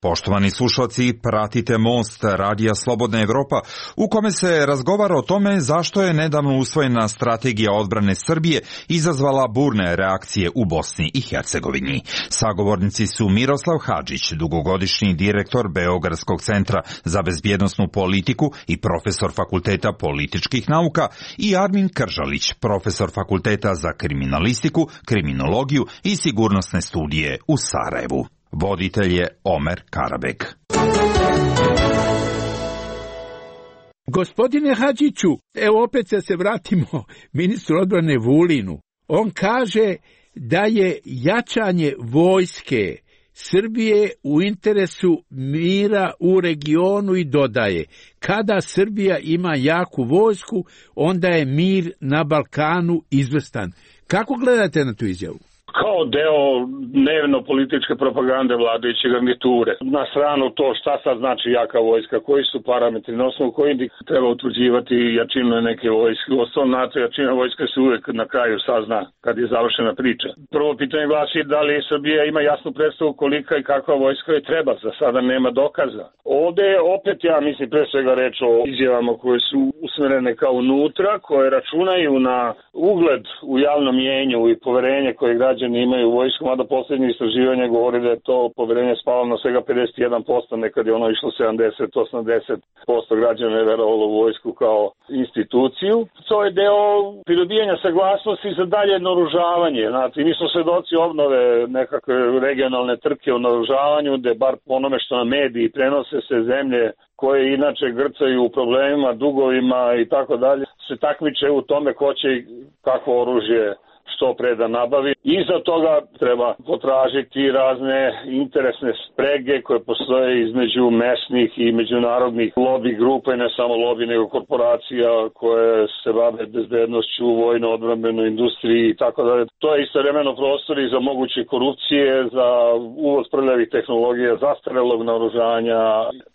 Poštovani slušalci, pratite Most Radija Slobodna Evropa, u kome se razgovara o tome zašto je nedavno usvojena strategija odbrane Srbije izazvala burne reakcije u Bosni i Hercegovini. Sagovornici su Miroslav Hadžić, dugogodišnji direktor Beogradskog centra za bezbjednosnu politiku i profesor Fakulteta političkih nauka, i Armin Kržalić, profesor Fakulteta za kriminalistiku, kriminologiju i sigurnosne studije u Sarajevu. Voditelj je Omer Karabek. Gospodine Hadžiću, evo opet se vratimo ministru odbrane Vulinu. On kaže da je jačanje vojske Srbije u interesu mira u regionu i dodaje, kada Srbija ima jaku vojsku, onda je mir na Balkanu izvrstan. Kako gledate na tu izjavu? Kao deo dnevno političke propagande vladajuće garniture. Na stranu to šta sad znači jaka vojska, koji su parametri, na osnovu koji treba utvrđivati jačinu neke vojske. Osnovna jačina vojske se uvek na kraju sazna kad je završena priča. Prvo pitanje glasi da li Srbija ima jasnu predstavu kolika i kakva vojska je treba, za sada nema dokaza. Ovde je opet, ja mislim, pre svega reč o izjavama koje su usmerene kao unutra, koje računaju na ugled u javnom mjenju i poverenje koje građani imaju u vojsku, mada posljednje istraživanje govori da je to poverenje spalo na svega 51%, nekad je ono išlo 70-80% građana je verovalo u vojsku kao instituciju. To je deo pridobijanja saglasnosti za dalje naoružavanje. Znači, mi smo svedoci obnove nekakve regionalne trke o naoružavanju, gde bar po onome što na mediji prenose se zemlje koje inače grcaju u problemima, dugovima i tako dalje, se takmiče u tome ko će kakvo oružje što pre da nabavi. Iza toga treba potražiti razne interesne sprege koje postoje između mesnih i međunarodnih lobby grupa i ne samo lobby nego korporacija koje se bave bezbednošću, vojno-odbrambenoj industriji i tako dalje. To je istovremeno prostor i za moguće korupcije, za uvoz prljavih tehnologija, zastarelog naoružanja,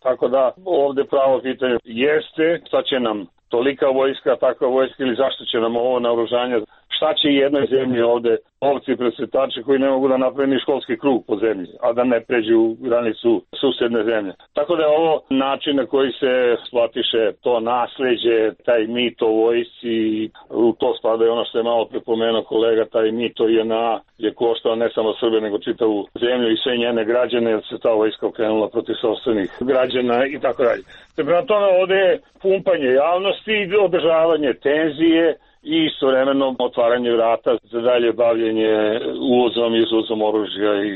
tako da ovde pravo pitanje jeste šta će nam tolika vojska, takva vojska ili zašto će nam ovo naoružanje, šta će jednoj zemlji ovde ovci presretači koji ne mogu da naprave ni školski krug po zemlji, a da ne pređu granicu susedne zemlje. Tako da je ovo način na koji se shvatiše to nasleđe, taj mit o vojsci, u to spada i ono što je malo prepomenuo kolega, taj mit o JNA je koštao ne samo Srbe nego čitavu zemlju i sve njene građane, jer se ta vojska okrenula protiv sopstvenih građana i tako dalje. Prema tome ovde je pumpanje javnosti i održavanje tenzije i istovremeno otvaranje vrata za dalje bavljenje uvozom i izvozom oružja i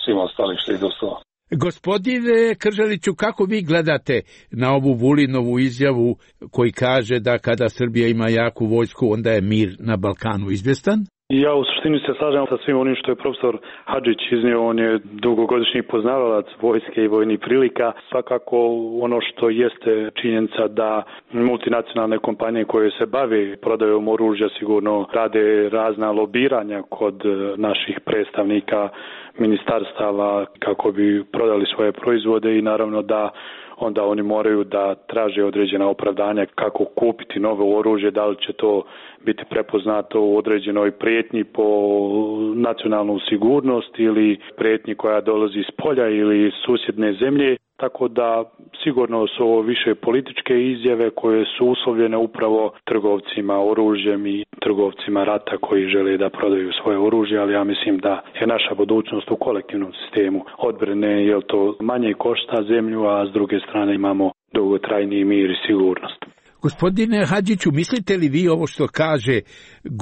svim ostalim što ide u to. Gospodine Kržaliću, kako vi gledate na ovu Vulinovu izjavu koji kaže da kada Srbija ima jaku vojsku, onda je mir na Balkanu izvjestan? Ja u suštini se slažem sa svim onim što je profesor Hadžić iznio, on je dugogodišnji poznavalac vojske i vojnih prilika. Svakako ono što jeste činjenica da multinacionalne kompanije koje se bave prodajom oružja sigurno rade razna lobiranja kod naših predstavnika ministarstava kako bi prodali svoje proizvode i naravno da onda oni moraju da traže određena opravdanja kako kupiti novo oružje, da li će to biti prepoznato u određenoj prijetnji po nacionalnu sigurnost ili prijetnji koja dolazi iz polja ili susjedne zemlje. Tako da sigurno su ovo više političke izjave koje su uslovljene upravo trgovcima oružjem i trgovcima rata koji žele da prodaju svoje oružje, ali ja mislim da je naša budućnost u kolektivnom sistemu odbrane, jer to manje košta zemlju, a s druge strane imamo dugotrajniji mir i sigurnost. Gospodine Hadžiću, mislite li vi ovo što kaže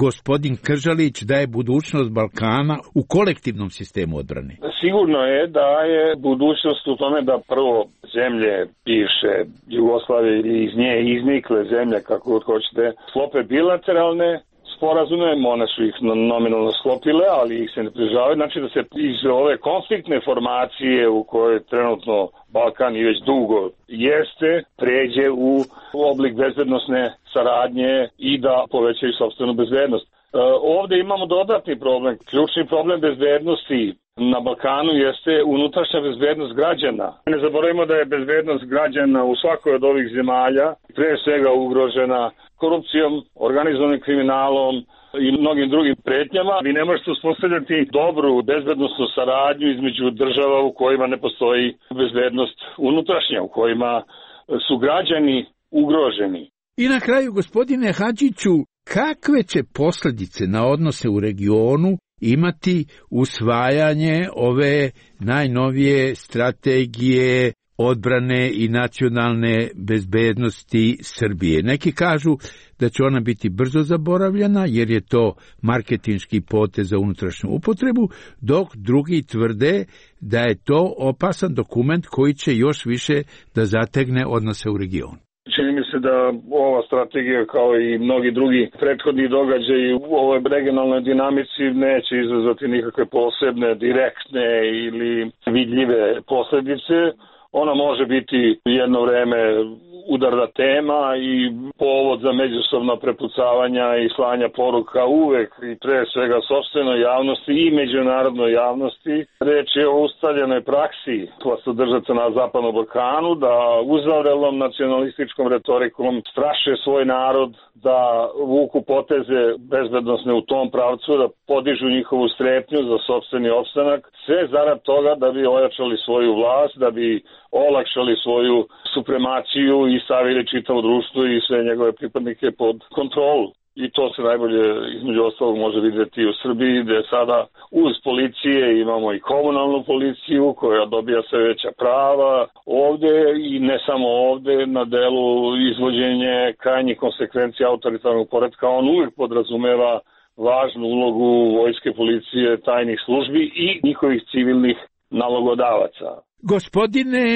gospodin Kržalić da je budućnost Balkana u kolektivnom sistemu odbrane? Sigurno je da je budućnost u tome da prvo zemlje bivše Jugoslavije ili iz nje iznikle zemlje, kako god hoćete, sklope bilateralne sporazume, one su ih nominalno sklopile, ali ih se ne prižavaju, znači da se iz ove konfliktne formacije u kojoj trenutno Balkan i već dugo jeste, pređe u oblik bezbednosne saradnje i da povećaju sopstvenu bezbednost. Ovde imamo dodatni problem. Ključni problem bezbednosti na Balkanu jeste unutrašnja bezbednost građana. Ne zaboravimo da je bezbednost građana u svakoj od ovih zemalja pre svega ugrožena korupcijom, organizovanim kriminalom i mnogim drugim pretnjama. Vi ne možete uspostavljati dobru bezbednosnu saradnju između država u kojima ne postoji bezbednost unutrašnja, u kojima su građani ugroženi. I na kraju, gospodine Hadžiću, kakve će posljedice na odnose u regionu imati usvajanje ove najnovije strategije odbrane i nacionalne bezbednosti Srbije? Neki kažu da će ona biti brzo zaboravljena jer je to marketinški potez za unutrašnju upotrebu, dok drugi tvrde da je to opasan dokument koji će još više da zategne odnose u regionu. Čini mi se da ova strategija kao i mnogi drugi prethodni događaji u ovoj regionalnoj dinamici neće izazvati nikakve posebne, direktne ili vidljive posljedice. Ona može biti jedno vreme udarna tema i povod za međusobna prepucavanja i slanja poruka uvek i pre svega sopstvenoj javnosti i međunarodnoj javnosti. Reč je o ustaljenoj praksi vlastodržaca na Zapadnom Balkanu da uzavrelom nacionalističkom retorikom straše svoj narod, da vuku poteze bezbednosne u tom pravcu, da podižu njihovu strepnju za sopstveni opstanak, sve zarad toga da bi ojačali svoju vlast, da bi olakšali svoju supremaciju i stavili čitavo društvo i sve njegove pripadnike pod kontrolu. I to se najbolje između ostalog može vidjeti u Srbiji, gde sada uz policije imamo i komunalnu policiju koja dobija sve veća prava. Ovde i ne samo ovde, na delu izvođenje krajnjih konsekvencija autoritarnog poretka, on uvijek podrazumeva važnu ulogu vojske, policije, tajnih službi i njihovih civilnih nalogodavaca. Gospodine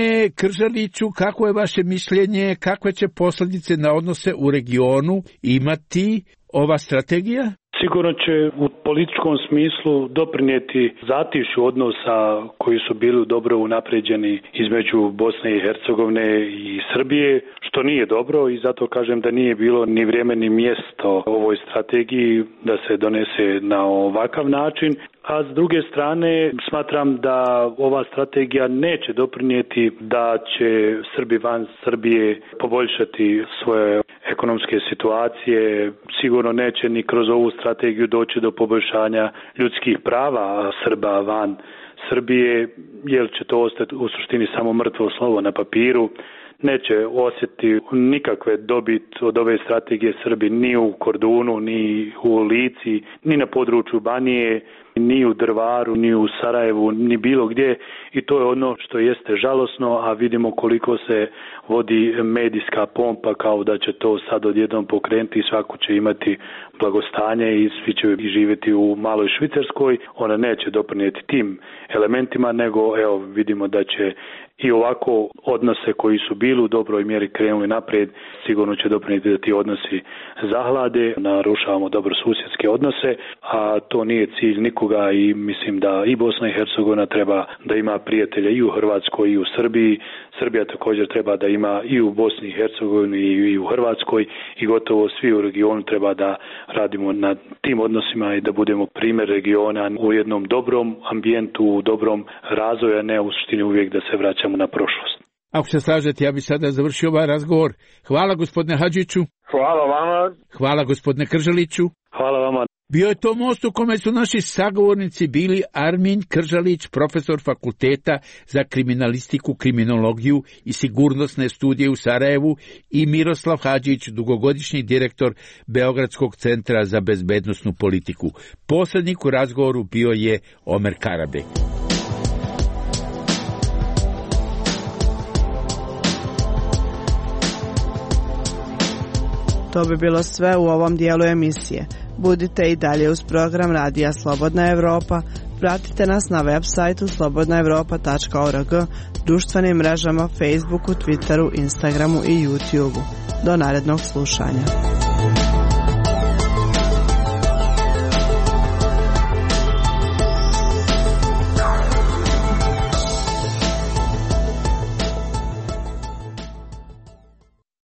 Kržaliću, kako je vaše mišljenje, kakve će posljedice na odnose u regionu imati ova strategija? Sigurno će u političkom smislu doprinijeti zatišju odnosa koji su bili dobro unapređeni između Bosne i Hercegovine i Srbije, što nije dobro i zato kažem da nije bilo ni vrijeme ni mjesto ovoj strategiji da se donese na ovakav način. A s druge strane smatram da ova strategija neće doprinijeti da će Srbi van Srbije poboljšati svoje ekonomske situacije. Sigurno neće ni kroz ovu strategiju doći do poboljšanja ljudskih prava Srba van Srbije, jer će to ostati u suštini samo mrtvo slovo na papiru. Neće osjetiti nikakve dobit od ove strategije Srbi ni u Kordunu, ni u Lici, ni na području Banije, ni u Drvaru, ni u Sarajevu, ni bilo gdje i to je ono što jeste žalosno, a vidimo koliko se vodi medijska pompa kao da će to sad odjednom pokrenuti i svako će imati blagostanje i svi će živjeti u maloj Švicarskoj. Ona neće doprinijeti tim elementima, nego evo vidimo da će i ovako odnose koji su bili u dobroj mjeri krenuli naprijed, sigurno će doprinijeti da ti odnosi zahlade, narušavamo dobro susjedske odnose, a to nije cilj nikoga i mislim da i Bosna i Hercegovina treba da ima prijatelje i u Hrvatskoj i u Srbiji. Srbija također treba da ima i u Bosni i Hercegovini i u Hrvatskoj i gotovo svi u regionu treba da radimo na tim odnosima i da budemo primjer regiona u jednom dobrom ambijentu, u dobrom razvoju, a ne u suštini uvijek da se vraćamo na prošlost. Ako se slažete, ja bih sada završio ovaj razgovor. Hvala gospodine Hadžiću. Hvala vama. Hvala gospodine Kržaliću. Hvala vama. Bio je to most u kome su naši sagovornici bili Armin Kržalić, profesor fakulteta za kriminalistiku, kriminologiju i sigurnosne studije u Sarajevu, i Miroslav Hadžić, dugogodišnji direktor Beogradskog centra za bezbednosnu politiku. Poslednjik u razgovoru bio je Omer Karabek. To bi bilo sve u ovom dijelu emisije. Budite i dalje uz program Radija Slobodna Evropa. Pratite nas na web sajtu slobodnaevropa.org, društvenim mrežama Facebooku, Twitteru, Instagramu i YouTubeu. Do narednog slušanja.